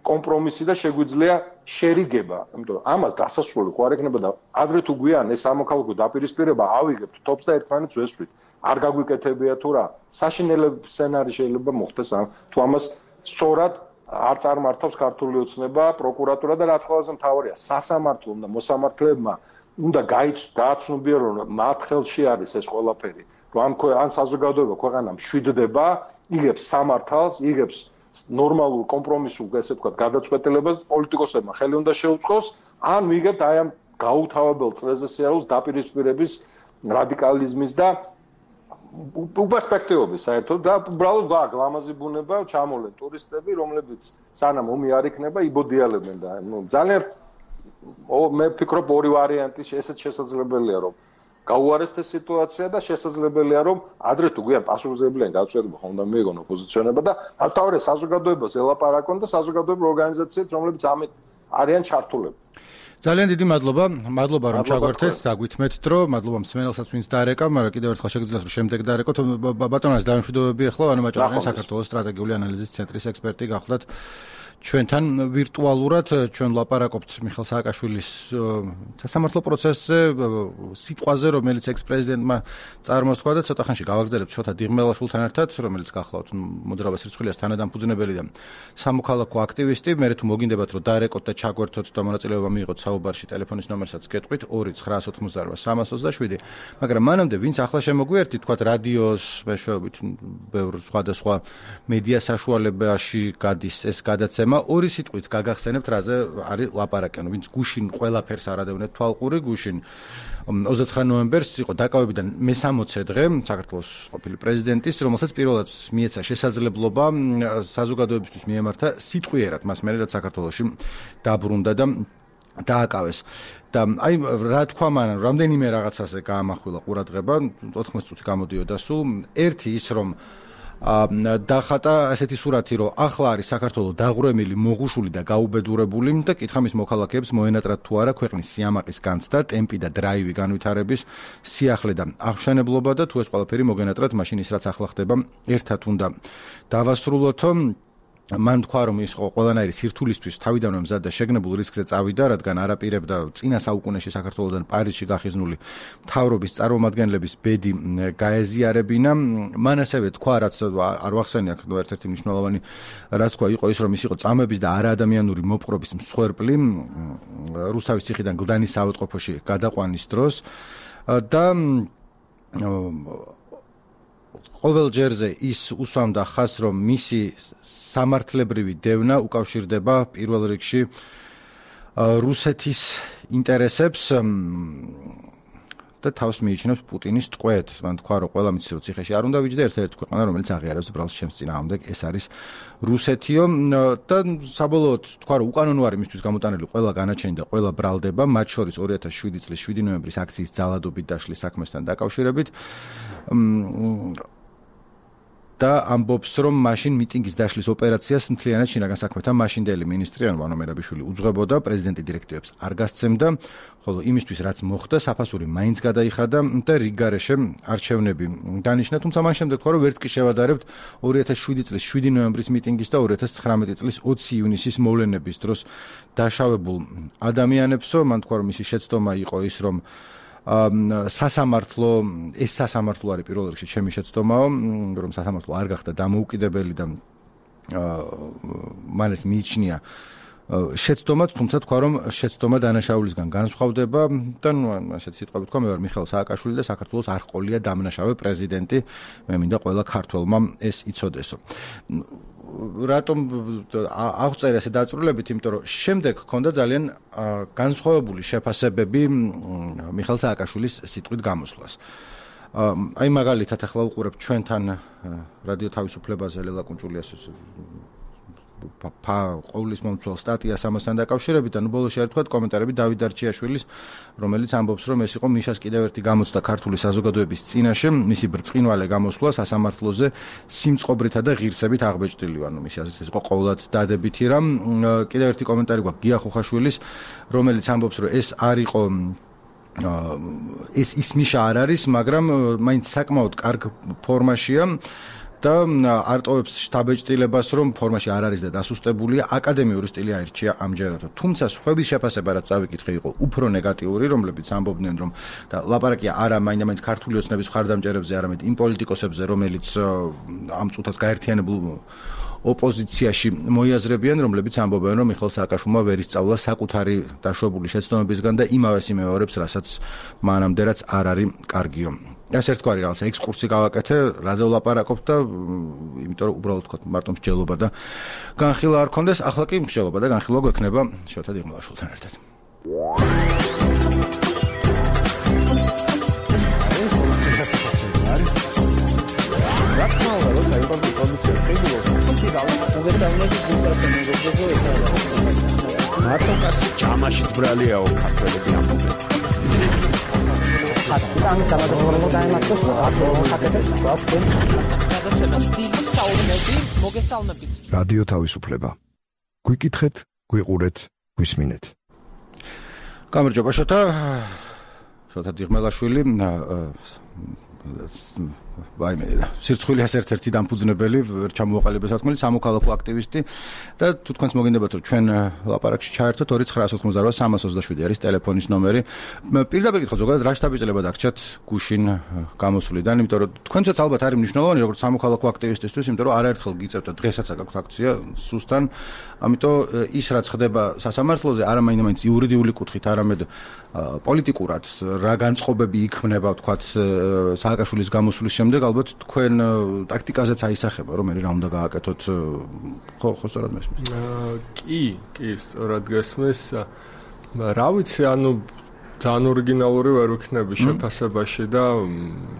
კომპრომისი და შეგვიძლია შერიგება, იმიტომ ამას დასასრული ხო არ ექნება და ადრე თუ გვიან ეს სამოქალაქო დაპირისპირება ავიღებთ თობს და ერთმანეთს ვესვით. არ გაგვიკეთებია თუ რა, საშინელი სცენარი შეიძლება მოხდეს თუ ამას სწორად არ წარმართავს ქართული ოცნება, პროკურატურა და რაც ყველაზე მთავარია, სასამართლომ და მოსამართლეებმა უნდა გააცნობიერონ რომ მათ ხელში არის ეს ყველაფერი, რომ ან საზოგადოება ქვეყანა მშვიდდება, იღებს სამართალს, იღებს ნორმალურ კომპრომისულ ესე ვთქვათ გადაწყვეტილებას პოლიტიკოსებმა ხელი უნდა შეუწყოს, ან ვიგებთ აი ამ გაუთავებელ წრეზე სიარულს დაპირისპირების რადიკალიზმის და უპერსპექტივობის საერთოდ და უბრალოდ ლამაზი ბუნება ჩამოლენ ტურისტები, რომლებიც სანამ ომი არ იქნება, იბოდიალებენ და ძალიან მე ვფიქრობ ორი ვარიანტი ესეც შესაძლებელია რომ გაუარესდეს სიტუაცია და შესაძლებელია რომ ადრე თუ გვიან პასუხისმგებლიანი გადაწყვეტილება ხომ უნდა მიიღონ ოპოზიციონერებმა და თავარია საზოგადოებას ელაპარაკონ და საზოგადოებრივ ორგანიზაციებს რომლებიც ამით არიან ჩართულები. ძალიან დიდი მადლობა რომ ჩაგვერთეთ, დაგვითმეთ დრო, მადლობა მსმენელსაც ვინც დაერეკა, მაგრამ კიდევ ერთხელ შეგიძლიათ რომ შემდეგ დაერეკოთ. ბატონას დაიმშვიდობები ახლა ვანო მაჭარიანი საქართველოს სტრატეგიული ანალიზის ცენტრის ექსპერტი გახლდათ ჩვენთან ვირტუალურად ჩვენ ვლაპარაკობთ მიხეილ სააკაშვილის სასამართლო პროცესზე, სიტყვაზე, რომელიც ექს-პრეზიდენტმა წარმოსთქვა და ცოტა ხანში გავაგრძელებთ შოთა დიღმელაშვილთან ერთად, რომელიც გახლავთ მოძრაობის რიცხვილიას თანადამფუძნებელი და სამოქალაქო აქტივისტი. მე თუ მოგინდებათ რომ დაერეკოთ და ჩაგვერთოთ და მონაწილეობა მიიღოთ საუბარში, ტელეფონის ნომერსაც გეტყვით 2-988-27, მაგრამ მანამდე ვინც ახლა შემოგვიერთით, თქვათ რადიოს მეშვეობით, ბევრ სხვადასხვა მედია საშუალებაში გადის ეს გადაცემა თემა ორი სიტყვით გაგახსენებთ რაზე არის ლაპარაკი, ანუ ვინც გუშინ ყველაფერს არადევნეთ თვალყური გუშინ 29 ნოემბერს იყო დაკავებიდან მე-60 დღე საქართველოს ყოფილი პრეზიდენტის, რომელსაც პირველად მიეცა შესაძლებლობა საზოგადოებისთვის მიემართა სიტყვიერად მას მერე რაც საქართველოში დაბრუნდა და დააკავეს. და აი რა თქვა მან რამდენიმე რაღაცაზე გაამახვილა ყურადღება 14 წუთი გამოდიოდა სულ. ერთი ის რომ დახატა ასეთი სურათი რომ ახლა არის საქართველოს დაღურემილი, მოღუშული და გაუბედურებული და კითხა მის მოქალაქეებს მოენატრათ თუ არა ქვეყნის სიამაყის განცდა, ტემპი და დრაივი განვითარების, სიახლე და აღშენებლობა და თუ ეს ყველაფერი მოგენატრათ, მაშინ ის რაც ახლა ხდება ერთად უნდა დავასრულოთო. მან თქვა რომ ის ყველანაირი სირთულისთვის თავიდანვე მზად და შეგნებულ რისკზე წავიდა, რადგან არაპირებდა წინა საუკუნეში საქართველოსთან პარიზში გახიზნული მთავრობის წარმომადგენლების ბედი გაეზიარებინა. მან ასევე თქვა, რაც არ ვახსენე აქ ერთ-ერთი მნიშვნელოვანი რაც თქვა იყო ის რომ ის იყო წამების და არაადამიანური მოპყრობის მსხვერპლი რუსთავის ციხიდან გლდანის საავადმყოფოში გადაყვანის დროს და ყოველ ჯერზე ის უსვამდა ხაზს, რომ მისი სამართლებრივი დევნა უკავშირდება პირველ რიგში რუსეთის ინტერესებს და თავს მიიჩნევს პუტინის ტყვედ. მან თქვა, რომ ყველა მიცის რომ ციხეში არ უნდა ვიჯდე, ერთ-ერთი ქვეყანა, რომელიც აღიარებს ბრალს ჩემს წინააღმდეგ, ეს არის რუსეთიო და საბოლოოდ თქვა, რომ უკანონო არის მისთვის გამოტანილი ყველა განაჩენი და ყველა ბრალდება, მათ შორის 2007 წლის 7 ნოემბრის აქციის ძალადობით დაშლის საქმესთან დაკავშირებით. და ამბობს, რომ მაშინ მიტინგის დაშლის ოპერაციას მთლიანად შინაგან საქმეთა მაშინდელი მინისტრი ვანო მერაბიშვილი უძღვებოდა, პრეზიდენტი დირექტივებს არ გასცემდა, ხოლო იმისთვის რაც მოხდა, საფასური მაინც გადაიხადა და რიგგარეშე არჩევნები დანიშნა, თუმცა მან შემდეგ თქვა, რომ ვერც კი შევადარებთ 2007 წლის 7 ნოემბრის მიტინგის და 2019 წლის 20 ივნისის მოვლენების დროს დაშავებულ ადამიანებსო. მან თქვა, რომ მისი შეცდომა იყო ის, რომ სასამართლო ეს სასამართლო არის პირველ რიგში ჩემი შეცდომაო, რომ სასამართლო არ გახდა დამოუკიდებელი და მან ეს მიიჩნია შეცდომად, თუმცა თქვა, რომ შეცდომა დანაშაულისგან განსხვავდება და ასეთი სიტყვები თქვა, მე ვარ მიხეილ სააკაშვილი და საქართველოს არ ყოლია დამნაშავე პრეზიდენტი, მე მინდა ყველა ქართველმა ეს იცოდესო. რატომ აღწერე ესე დაწვრილებით, იმიტომ რომ შემდეგ ჰქონდა ძალიან განსხვავებული შეფასებები მიხეილ სააკაშვილის სიტყვით გამოსვლას. აი მაგალითად ახლა უყურებთ ჩვენთან რადიო თავისუფლებაზე ლელა კუნჭულიას ყოვლის მომცველ სტატიას ამასთან დაკავშირებით და ნუ ბოლოში არ თქვა კომენტარები დავით დარჩიაშვილის, რომელიც ამბობს, რომ ეს იყო მიშას კიდევ ერთი გამოცდა ქართული საზოგადოების წინაშე, მისი ბრწყინვალე გამოსვლა სასამართლოზე სიმწყობრითა და ღირსებით აღბეჭდილი, ანუ მისი აზრით ეს იყო ყოვლად დადებითი რამ. კიდევ ერთი კომენტარი გვაქვს გია ხუხაშვილის, რომელიც ამბობს, რომ ეს არ იყო ის მიშა არ არის, მაგრამ მაინც საკმაოდ კარგ ფორმაშია. და არტოვებს შთაბეჭდილებას, რომ ფორმაში არ არის და დასუსტებულია, აკადემიური სტილი აირჩია ამჯერადო. თუმცა სხვების შეფასება რაც წავიკითხე იყო უფრო ნეგატიური, რომლებიც ამბობდნენ, რომ და ლაპარაკია არა მაინც ქართული ოცნების მხარდამჭერებზე, არამედ იმ პოლიტიკოსებზე, რომელიც ამ წუთას გაერთიანებულ ოპოზიციაში მოიაზრებიან, რომლებიც ამბობენ, რომ მიხეილ სააკაშვილმა ვერ ისწავლა საკუთარი დაშვებული შეცდომებისგან და იმავეს იმეორებს, რასაც მანამდე რაც არ არის კარგიო. ეს ერთგვარი რაღაცა ექსკურსი გავაკეთე, რაზე ვლაპარაკობ და იმიტომ რომ უბრალოდ თქვა მარტო მსჯელობა და განხილვა არ ქონდეს, ახლა კი მსჯელობა და განხილვა გვექნება შოთა დიღმაშვილთან ერთად. მარტო კაცი ჯამაშიც ბრალიაო ქართველები ამბობენ. ამის გამოდობრობა დაემართოს რადიო თავისუფლება. გვიკითხეთ, გვიყურეთ, გვისმინეთ. გამარჯობა შოთა დიღმელაშვილი, სირცხვილიას ერთ-ერთი დამფუძნებელი, ჩამოუყალიბე სათქმელი, სამოქალაქო აქტივისტი და თუ თქვენს მოგინდებათ რომ ჩვენ ლაპარაკში ჩაერთოთ 2988-327 არის ტელეფონის ნომერი. პირდაპირ გითხრათ ზოგადად რა შთაბეჭდილება დაგჭათ გუშინ გამოსვლიდან, იმიტომ რომ თქვენცაც ალბათ არის მნიშვნელოვანი როგორც სამოქალაქო აქტივისტისთვის, იმიტომ რომ არაერთხელ გიწევთ და დღესაც აქვს აქცია სუსთან, ამიტომ ის რაც ხდება სასამართლოზე არა მაინც იურიდიული კუთხით, არამედ პოლიტიკურად რა განწყობები იქმნება, ვთქვათ, სააკაშვილის გამოსვლის შემდეგ ალბათ თქვენ ტაქტიკაზეც აისახება, რომ მე რა უნდა გააკეთოთ, ხო სწორად მესმის. კი, სწორად გესმის. რა ვიცი, ძალიან ორიგინალური ვერ ვიქნები შეფასებაში და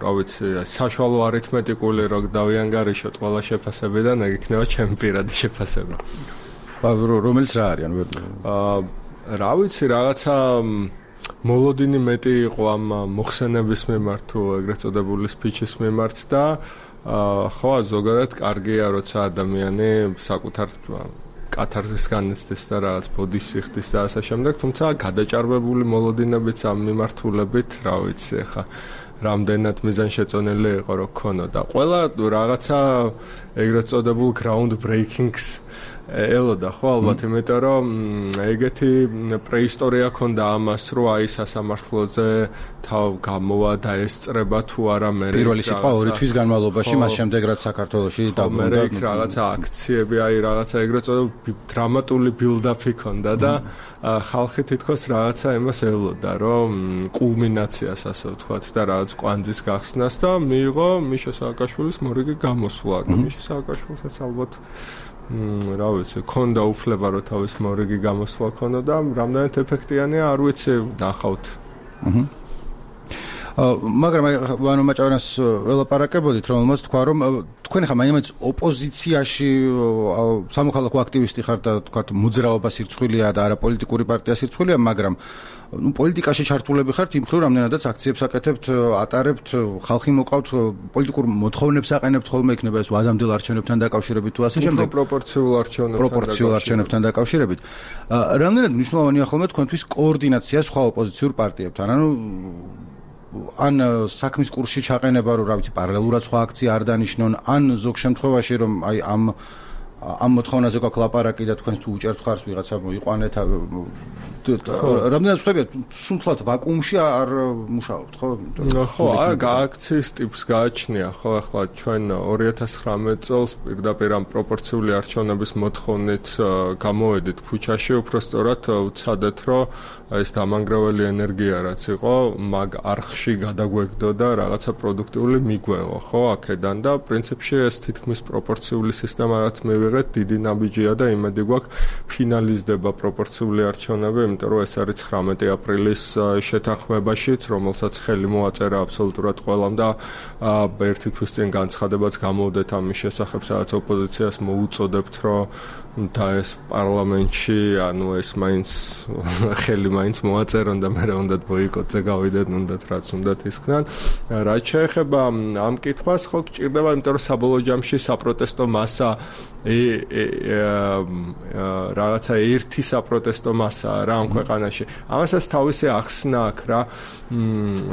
რა ვიცი, საშუალო არითმეტიკული რო დავიანგარიშოთ ყველა შეფასებიდან, ეგ იქნება ჩემი პირადი შეფასება. რომელიც რა არის, ანუ რა ვიცი, რაღაცა მოლოდინი მეტი იყო ამ მოხსენების მიმართ თუ ეგრეთ წოდებული სპიჩის მიმართ და ხო ზოგადად კარგია, როცა ადამიანი საკუთარ კათარზის განიცდის და რაღაც ბოდის იხდის და ასე შემდეგ, თუმცა გადაჭარბებული მოლოდინებიც ამ მიმართულებით, რა ვიცი, ხა რამდენად მიზანშეწონილი იყო რო ქონოდა. ყველა რაღაცა ეგრეთ წოდებულ ground breakings ელოდა ხო ალბათ, იმიტომ რომ ეგეთი პრეისტორია ქონდა ამას, რომ აი სასამართლოზე თავ გამოვა და ესწრება თუ არა მე პირველი სიტყვა 2 თვის განმავლობაში, მას შემდეგ რაც საქართველოში დაბრუნდა რაღაცა აქციები, აი რაღაცა ეგრეთ წოდებული დრამატული build-up-ი ქონდა და ხალხი თითქოს რაღაცა იმას ელოდა, რომ კულმინაციას ასე ვთქვათ და რაღაც კვანძის გახსნას და მიიღო მიშა სააკაშვილის მორიგი გამოსვლა. მიშა სააკაშვილსაც ალბათ რა ვიცი, ქონდა უფლება რომ თავის მორიგი გამოსვლა ქონოდა და რამდენად ეფექტიანია, არ ვიცი, ნახავთ. მაგრამ ანუ მაჭარანს ველაპარაკებოდით, რომელმაც თქვა, რომ თქვენ ხა მაინც ოპოზიციაში სამოქალაქო აქტივისტი ხართ და თქვათ მოძრაობა სირცხვილია და არა პოლიტიკური პარტია სირცხვილია, მაგრამ პოლიტიკაში ჩართულები ხართ იმ მხრივ, რამდენადაც აქციებს აკეთებთ, ატარებთ, ხალხი მოყავთ, პოლიტიკურ მოთხოვნებს აყენებთ ხოლმე, იქნება ეს ვადამდელ არჩევნებთან დაკავშირებით თუ ასე შემდეგ. პროპორციულ არჩევნებთან დაკავშირებით. რამდენად მნიშვნელოვანია ხოლმე თქვენთვის კოორდინაცია სხვა ოპოზიციურ პარტიებთან? ანუ ან საქმის კურსში ჩაყენება, რომ რა ვიცი, პარალელურად სხვა აქცია არ დანიშნონ, ან ზოგ შემთხვევაში რომ აი ამ მოთხოვნაზე გაქვს ლაპარაკი და თქვენ თუ უჭერთ ხარს ვიღაცა მოიყვანეთ, რამდენად ხდებია სულთლად ვაკუუმში არ მუშაობთ, ხო? ხო, აქციის ტიპს გააჩნია, ხო, ახლა ჩვენ 2019 წელს პირდაპირ ამ პროპორციული არჩევნების მოთხოვნით გამოვედით ქუჩაში, უფრო სწორად ვცადეთ, რომ ეს დამანგრეველი ენერგია რაც იყო, მაგ არხში გადაგვეგდო და რაღაცა პროდუქტიული მიგვეღო, ხო, აქედან და პრინციპში ეს თითქმის პროპორციული სისტემა რაც მივიღეთ, დიდი ნაბიჯია და იმედი გვაქვს ფინალიზდება პროპორციული არჩევნები, იმიტომ რომ ეს არის 19 აპრილის შეთანხმებაშიც, რომელსაც ხელი მოაწერა აბსოლუტურად ყველამ და ერთი თვის წინ განცხადებაც გამოვდეთ ამის შესახებ, სადაც ოპოზიციას მოუწოდებთ, რომ და ეს პარლამენტში, ანუ ეს მაინც ხელი მაინც მოაწერონ და მე უნდა ბოიკოტზე გავიდეთ, უნდათ რაც უნდათ ისქნან. რაც შეეხება ამ კითხვას, ხო გჭირდება, იმიტომ რომ საბოლოო ჯამში საპროტესტო მასა რაღაცა ერთი საპროტესტო მასაა რა ამ ქვეყანაში. ამასაც თავისი ახსნა აქვს რა.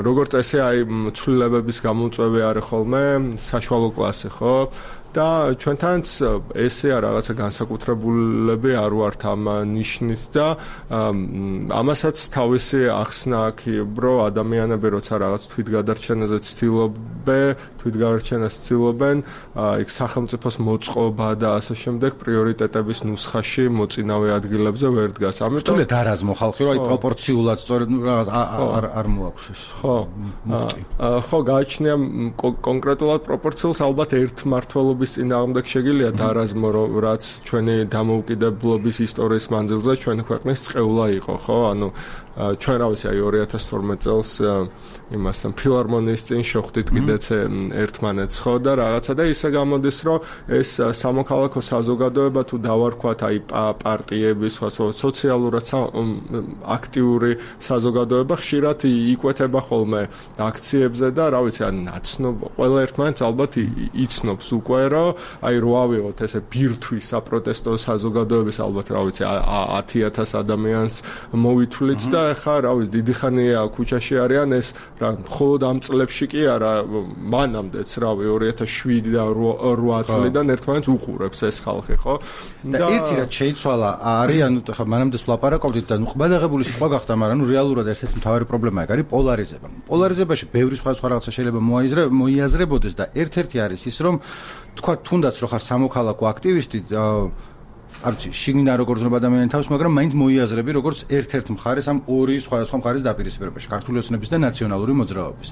როგორც წესი, აი ცვლილებების გამოწვევი არის ხოლმე საშუალო კლასი, ხო? და ჩვენთანაც ესეა რაღაცა განსაკუთრებულები არ ვართ ამ ნიშნით და ამასაც თავისი ახსნა აქვს, რომ ადამიანები როცა რაღაც თვითგადარჩენაზე ცდილობენ, იქ სახელმწიფოს მოწყობა და ასე შემდეგ პრიორიტეტების ნუსხაში მოწინავე ადგილებზე ვერ დგას. ამიტომ თუნდაც არაზმო ხალხი, რომ აი პროპორციულად სწორედ რაღაც არ მოაქვს ეს. ხო, გააჩნია კონკრეტულად პროპორციულს ალბათ ერთმართველობის წინააღმდეგ შეგიძლია დარაზმო, რაც ჩვენი დამოუკიდებლობის ისტორიის მანძილზე ჩვენი ქვეყნის წყევლა იყო, ხო? ანუ ჩვენ რა ვიცი, აი 2012 წელს იმასთან ფილარმონიის წინ შევხვდით კიდეც ერთმანეთს, ხო და რაღაცა და ისე გამოდის, რომ ეს სამოქალაქო საზოგადოება თუ დავარქვათ აი პარტიების, სოციალურად აქტიური საზოგადოება ხშირად იკვეთება ხოლმე აქციებზე და რა ვიცი, ან ნაცნობ ყველა ერთმანეთს ალბათ იცნობს უკვე, რომ აი რო ავიღოთ ესე ბირთვის საპროტესტო საზოგადოების ალბათ რა ვიცი 10,000 ადამიანს მოვითვლით და ხა რა ვიცი დიდი ხანია ქუჩაში არიან ეს რა მხოლოდ ამ წლებში კი არა მანამდეც რავი 2007 და 8 წლიდან ერთმანეთს უყურებს ეს ხალხი ხო და ერთი რაც შეიცვალა არის ანუ ხა მანამდე ვლაპარაკობდით და ნუ ყბადაღებული სიტყვა გახდა მაგრამ ნუ რეალურად ერთ-ერთი მთავარი პრობლემა არის პოლარიზება პოლარიზებაში ბევრი სხვა რაღაცა შეიძლება მოიაზრებოდეს და ერთ-ერთი არის ის რომ თქვა თუნდაც რო ხარ სამოქალაქო აქტივისტი არც შიგნიდან როგორ ზრდება ადამიანის თავს, მაგრამ მაინც მოიაზრები როგორც ერთ-ერთ მხარეს ამ ორი სხვადასხვა მხარეს დაპირისპირებაში, ქართული ოცნების და ნაციონალური მოძრაობის.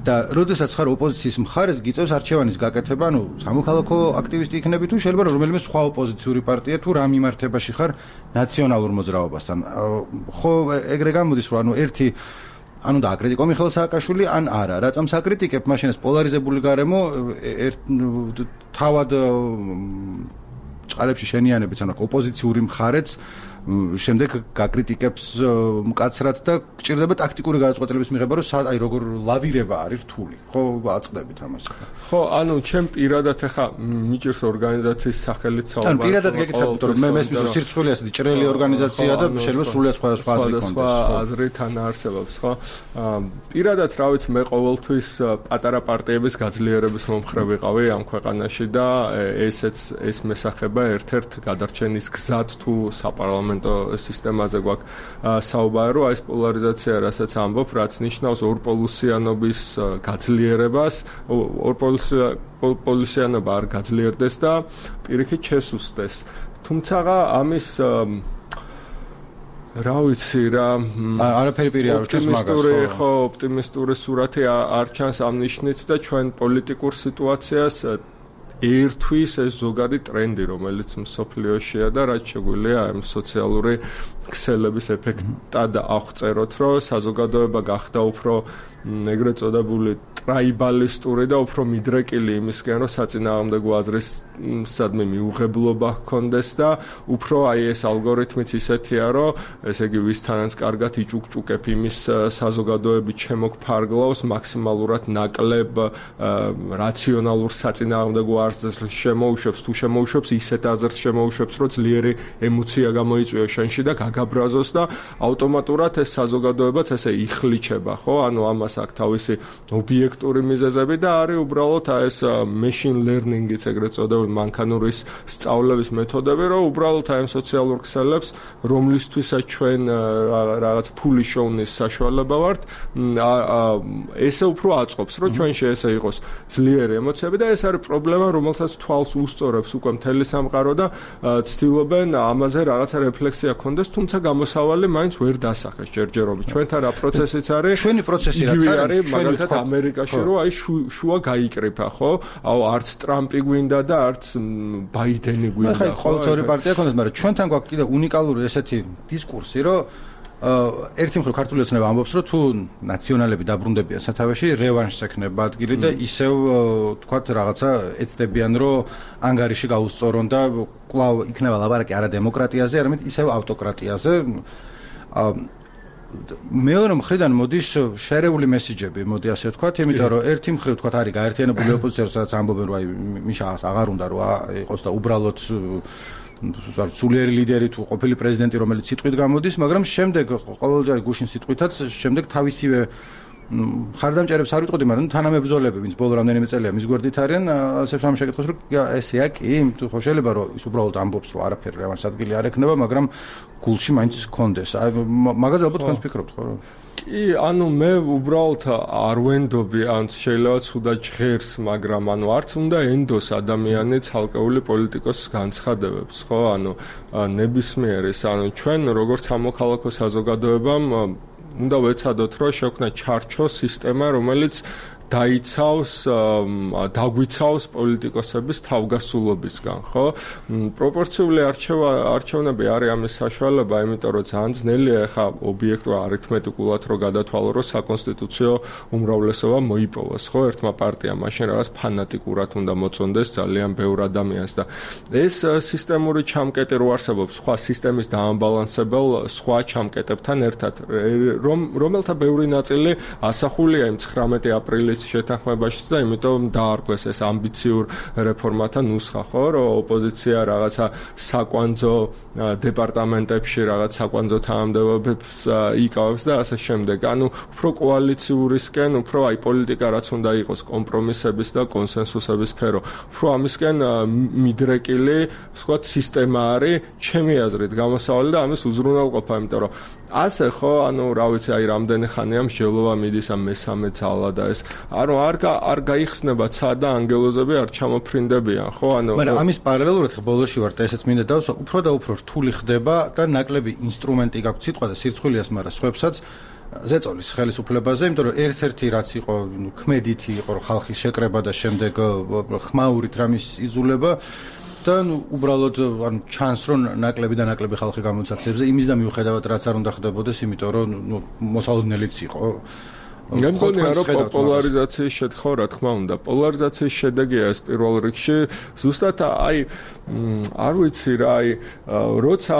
და როდესაც ხარ ოპოზიციის მხარეს, გიწევს არჩევანის გაკეთება, სამოქალაქო აქტივისტი იქნები თუ შეიძლება რომელიმე სხვა ოპოზიციური პარტია თუ რა მიმართებაში ხარ ნაციონალურ მოძრაობასთან. ხო, ეგრე გამოდის, რომ ერთი და აკრიტიკო მიხეილ სააკაშვილი ან არა. რატომ საკრიტიკებ, მაშინ ეს პოლარიზებული გარემო თავად ჭყალებში შენიანებიც, ოპოზიციური მხარეც შემდეგ გაკრიტიკებს მკაცრად და გჭირდება ტაქტიკური გადაწყვეტილების მიღება, რომ როგორ ლავირება არის რთული. ხო, აწყდებით ამას. ხო, ჩემ პირადად ახლა მიჭირს ორგანიზაციის სახელით საუბარი. პირადად გეკითხებით, რომ მე მესმის რომ სირცხვილი ასეთი ჭრელი ორგანიზაცია და შეიძლება სრულიად სხვადასხვა აზრი ქონდეს. აზრი თან არსებობს, ხო? პირადად რა ვიცი, მე ყოველთვის პატარა პარტიების გაძლიერების მომხრე ვიყავი ამ ქვეყანაში და ეს მესახება ერთ-ერთ გადარჩენის გზად თუ საპარლამენტო სისტემაზე გვაქვს საუბარი, რომ ეს პოლარიზაცია, რასაც ამბობ, რაც ნიშნავს ორპოლუსიანობის გაძლიერებას, ორპოლუსიანობა არ გაძლიერდეს და პირიქით შესუსტდეს. თუმცა ამის რა ვიცი რა არაფერი პირი არ ჩანს მაგას ხო ოპტიმისტური სურათი არ ჩანს ამ ნიშნით და ჩვენ პოლიტიკურ სიტუაციას ერთვის ეს ზოგადი ტრენდი, რომელიც მსოფლიოშია და რაც შეგვიძლია ამ სოციალური ქსელების ეფექტად აღწეროთ, რომ საზოგადოება გახდა უფრო ეგრეთ წოდებული ტრაიბალისტური და უფრო მიდრეკილი იმისკენ, რომ საწინააღმდეგო აზრის სადმე მიუღებლობა ჰქონდეს და უფრო ეს ალგორითმიც ისეთია, რომ ესე იგი ვისთანაც კარგად იჭუკჭუკებ იმის საზოგადოებით შემოგფარგლავს მაქსიმალურად ნაკლებ რაციონალურ საწინააღმდეგო აზრს შემოუშვებს, თუ შემოუშვებს ისეთ აზრს შემოუშვებს, რომ ძლიერი ემოცია გამოიწვიოს შენში და გაგაბრაზოს და ავტომატურად ეს საზოგადოებაც ესე იხლიჩება, ხო? ამას აქვს თავისი ობიექტური მიზეზები და არის უბრალოდ ეს machine learning-იც ეგრეთ წოდებული მანქანურის სწავლების მეთოდები, რომ უბრალოდ ამ სოციალურ ქსელებს, რომლისთვისაც ჩვენ რაღაც ფული შოვნის საშუალება ვართ, ესე უფრო აწყობს, რომ ჩვენში ესე იყოს ძლიერი ემოციები და ეს არის პრობლემა, რომელსაც თვალს უსწორებს უკვე მთელი სამყარო და ცდილობენ ამაზე რაღაცა რეფლექსია ქონდეს, თუმცა გამოსავალი მაინც ვერ დასახეს ჯერჯერობით. ჩვენთან რა პროცესიც არის? ჩვენი პროცესი რაც არის, მაგალითად ამერიკაში, რომ შუა გაიკრიფა, ხო? არც ტრამპი გვინდა და არც ბაიდენი გვინდა. ხო, ყოველწორი პარტია ქონდეს, მაგრამ ჩვენთან გვაქვს კიდე უნიკალური ესეთი დისკურსი, რომ ერთი მხრივ ქართული ოცნება ამბობს, რომ თუ ნაციონალები დაბრუნდებიან სათავეში, რევანშს ექნება ადგილი და ისევ თქვათ რაღაცა ეცდებიან, რომ ანგარიში გაუსწორონ და კვლავ იქნება ლაბარაკი არა დემოკრატიაზე, არამედ ისევ ავტოკრატიაზე. მეორე მხრიდან მოდის შერეული მესიჯები, მოდი ასე ვთქვათ, იმიტომ რომ ერთი მხრივ ვთქვათ არის გაერთიანებული ოპოზიცია, სადაც ამბობენ, რომ მიშას აღარ უნდა რომ იყოს და უბრალოდ სულიერი ლიდერი თუ ყოფილი პრეზიდენტი, რომელიც სიტყვით გამოდის, მაგრამ შემდეგ ყოველჯერ გუშინ სიტყვითაც შემდეგ თავისივე ხარდამჭერებს არ ვიტყოდი, მაგრამ თანამებრძოლები, ვინც ბოლო რამდენიმე წელია მის გვერდით არიან, ასე რომ შეკითხოს, რომ ესეა კი, ხო შეიძლება რომ ის უბრალოდ ამბობს, რომ არაფერი რევანშს ადგილი არ ექნება, მაგრამ გულში მაინც ჰქონდეს. მაგაზე ალბათ თქვენს ფიქრობთ, ხო? კი, მე უბრალოდ არ ვენდობი, შეიძლება ცუდად ჟღერს, მაგრამ არც უნდა ენდოს ადამიანი ცალკეული პოლიტიკოსის განცხადებებს, ხო? ნებისმიერის, ჩვენ როგორც სამოქალაქო საზოგადოებამ უნდა ვეცადოთ, რომ შექმნა ჩარჩო სისტემა, რომელიც დაგვიცავს პოლიტიკოსების თავგასულობისგან, ხო? პროპორციული არჩევნები არის ამის საშუალება, იმიტომ რომ ძალიან ძნელია ახლა ობიექტურად არითმეტიკულად რომ გადათვალო, რომ საკონსტიტუციო უმრავლესობა მოიპოვოს, ხო? ერთმა პარტიამ მაშინ რაღაც ფანატიკურად უნდა მოწონდეს ძალიან ბევრ ადამიანს და ეს სისტემური ჩამკეტი რო არსებობს, სხვა სისტემის დაამბალანსებელ სხვა ჩამკეტებთან ერთად, რომელთა ბევრი ნაწილი ასახულია იმ 19 აპრილის შეთანხმებაშიც და იმიტომ დაარქვეს ეს ამბიციურ რეფორმათა ნუსხა, ხო, რომ ოპოზიცია რაღაცა საკვანძო დეპარტამენტებში რაღაც საკვანძო თანამდებობებს იკავებს და ასე შემდეგ. უფრო კოალიციურისკენ, უფრო პოლიტიკა რაც უნდა იყოს კომპრომისების და კონსენსუსების სფერო. უფრო ამისკენ მიდრეკილი, სხვა სისტემა არის, ჩემი აზრით, გამოსავალი და ამის უზრუნველყოფა, იმიტომ რომ ასე ხო, რა ვიცი, რამდენი ხანია მსჯელობა მიდის ამ მესამე ძალა და ეს ანუ არ გაიხსნება ცა და ანგელოზები არ ჩამოფრინდებიან, ხო? ანუ მაგრამ ამის პარალელურად ბოლოში ვარ და ესეც მინდა დავსვა, უფრო და უფრო რთული ხდება და ნაკლები ინსტრუმენტი გაქვს სიტყვა და სირცხვილიას, მაგრამ სხვებსაც ზეწოლის ხელისუფლებაზე, იმიტომ რომ ერთ-ერთი რაც იყო, ქმედითი იყო ხალხის შეკრება და შემდეგ ხმაურით რამის იზულება და უბრალოდ ანუ ჩანს რომ ნაკლები და ნაკლები ხალხი გამოცდის აქციებზე, იმის და მიუხედავად რაც არ უნდა ხდებოდეს, იმიტომ რომ მოსალოდნელიც იყო. მე მგონია რომ პოლარიზაციის შეთხო რა თქმა უნდა პოლარიზაციის შედეგია ეს პირველ რიგში ზუსტად აი არ ვიცი რა აი როცა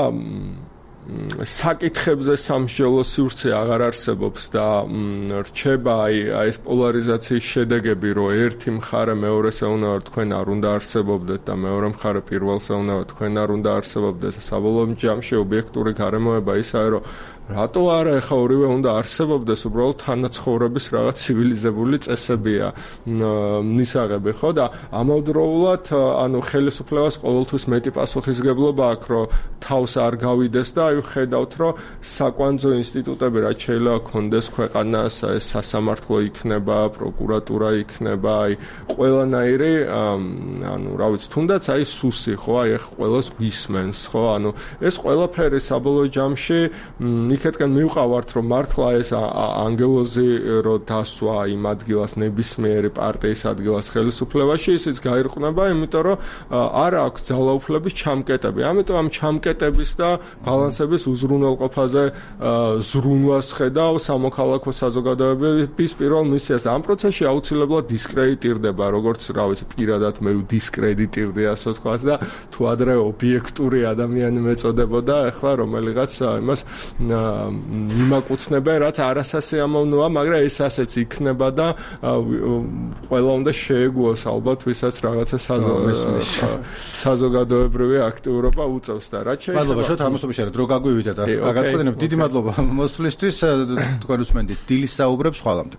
საკითხებზე სამსჯელო სივრცე აღარ არსებობს და რჩება აი ეს პოლარიზაციის შედეგები რომ ერთი მხარე მეორეს ეუნება თქვენ არ უნდა არსებობდეთ და მეორე მხარე პირველს ეუნება თქვენ არ უნდა არსებობდეთ საბოლოო ჯამში ობიექტური გარემოება ისაა რომ რატო არა ეხა ორივე უნდა არსებობდეს უბრალოდ თანაცხოვრების რაღაც ცივილიზებული წესებია მისაღები ხო და ამავდროულად ანუ ხელისუფლებას ყოველთვის მეტი პასუხისგებლობა აქვს რომ თავს არ გავიდეს და აი ხედავთ რომ საკვანძო ინსტიტუტები რაც შეიძლება კონდეს ქვეყანას ეს სასამართლო იქნება პროკურატურა იქნება აი ყველანაირი ანუ რა ვიცი თუნდაც აი სუსი ხო აი ეხა ყველას გვისმენს ხო ანუ ეს ყველაფერი საბოლოო ჯამში იქეთკენ მივყავართ რომ მართლა ეს ანგელოზი რო დასვა იმ ადგილას ნებისმიერი პარტიის ადგილას ხელისუფლებაში ისიც გაირყნება იმიტომ რომ არ აქვს ძალაუფლების ჩამკეტები ამიტომ ამ ჩამკეტების და ბალანსების უზრუნველყოფაზე ზრუნვას ხედავ სამოქალაქო საზოგადოებების პირველ მისიას ამ პროცესში აუცილებლად დისკრედიტირდება როგორც რა ვიცი პირადად მე დისკრედიტირდი ასე ვთქვათ და თუ ადრე ობიექტური ადამიანი მეწოდებოდა ახლა რომელიღაც იმას მიმაკუთვნებენ რაც არასასიამოვნოა მაგრამ ეს ასეც იქნება და ყველა უნდა შეეგუოს ალბათ ვისაც რაღაცა საზოგადოებრივი აქტიურობა უწევს და რაც შეიძლება მადლობა შოთ ამასობაში რა დრო გაგვივიდა და გაგაწყვეტინებ დიდი მადლობა მოსვლისთვის თქვენ უსმენთ დილის საუბრებს ხვალამდე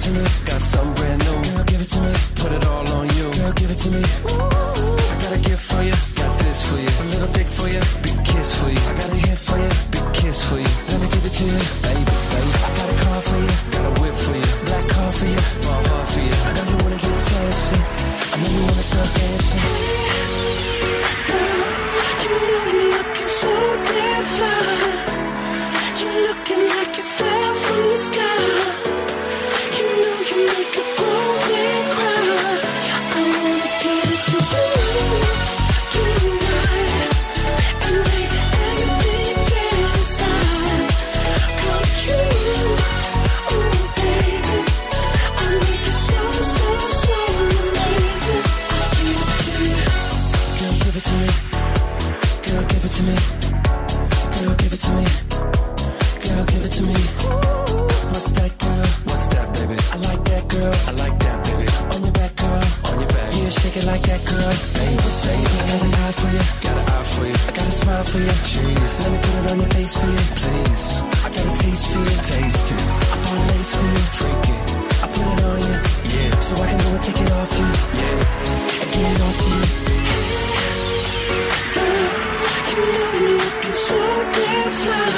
to me. Got something brand new. Girl, give it to me. Put it all on you. Girl, give it to me. Ooh, I got a gift for you. Got this for you. A little dick for you. Big kiss for you. I got a hit for you. Big kiss for you. Let me give it to you, baby, baby. I got a car for you. Got a whip for you. Black car for you. My heart for you. I know you wanna get fancy. I know you wanna start dancing. Girl, you know you're looking so damn fly. You're looking like you fell from the sky. You know you make a grown man cry. I wanna give it to you tonight, and make everything you fantasize come true. Oh baby, I make it so amazing. I give it to you. Girl, give it to me. Girl, give it to me. Girl, give it to me. Girl, give it to me. What's that, girl? What's that, baby? I like that, girl. I like that, baby. On your back, girl. On your back. Yeah, shake it like that, girl. Baby, baby. I got an eye for you. Got an eye for you. I got a smile for you. Jeez. Let me put it on your face for you. Please. I got a taste for you. Taste it. I bought a lace for you. Freak it. I put it on you. Yeah. So I can go and take it off you. Yeah. And get it off to you. Girl, you know you're looking so damn fly.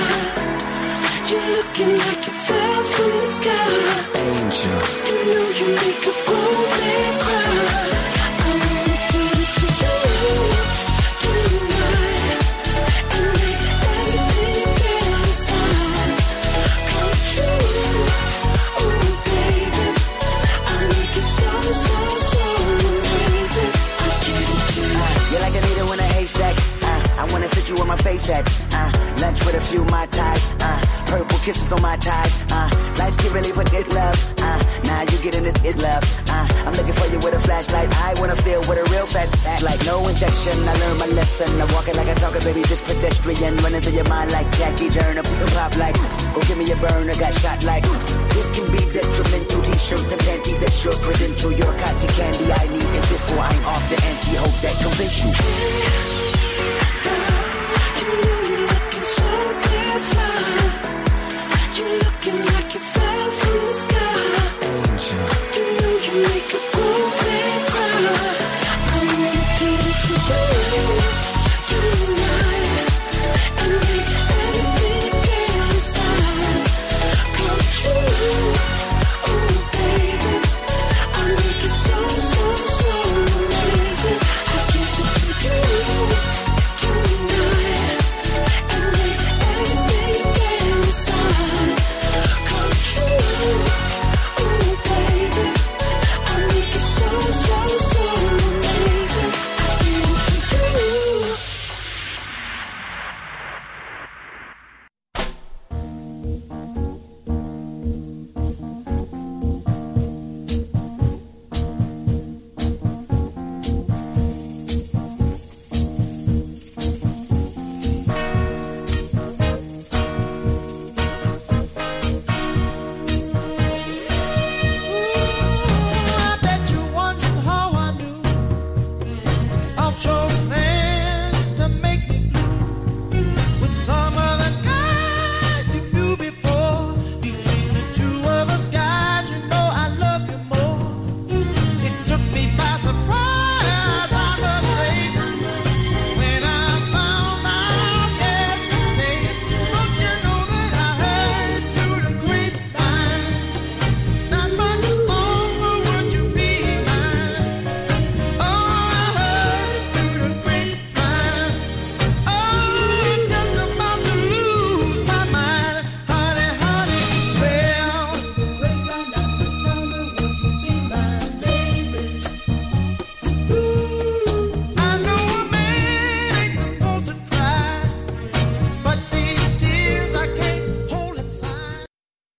You're looking like you fell from the sky. Angel. You know you make a grown man cry. I wanna give it to you tonight, and make everything you fantasize come true. Oh baby, I make it so amazing. I give it to you. You're like a needle in a haystack. I wanna sit you on my face at lunch with a few Mai Tais. Purple kisses on my tie. Life can really put this love. Now you getting this it love. I'm looking for you with a flashlight. I wanna feel with a real fat act. Like no injection. I learned my lesson. I'm walking like a talker, baby. This pedestrian running through your mind like Jackie Turner. Piece of pop like go give me a burner. Got shot like this can be detrimental. T-shirt and panty. That's your credential. Your cotton candy. I need this before I'm off the NC. Hope that convince you. You know you're looking so damn fly. You're looking like you fell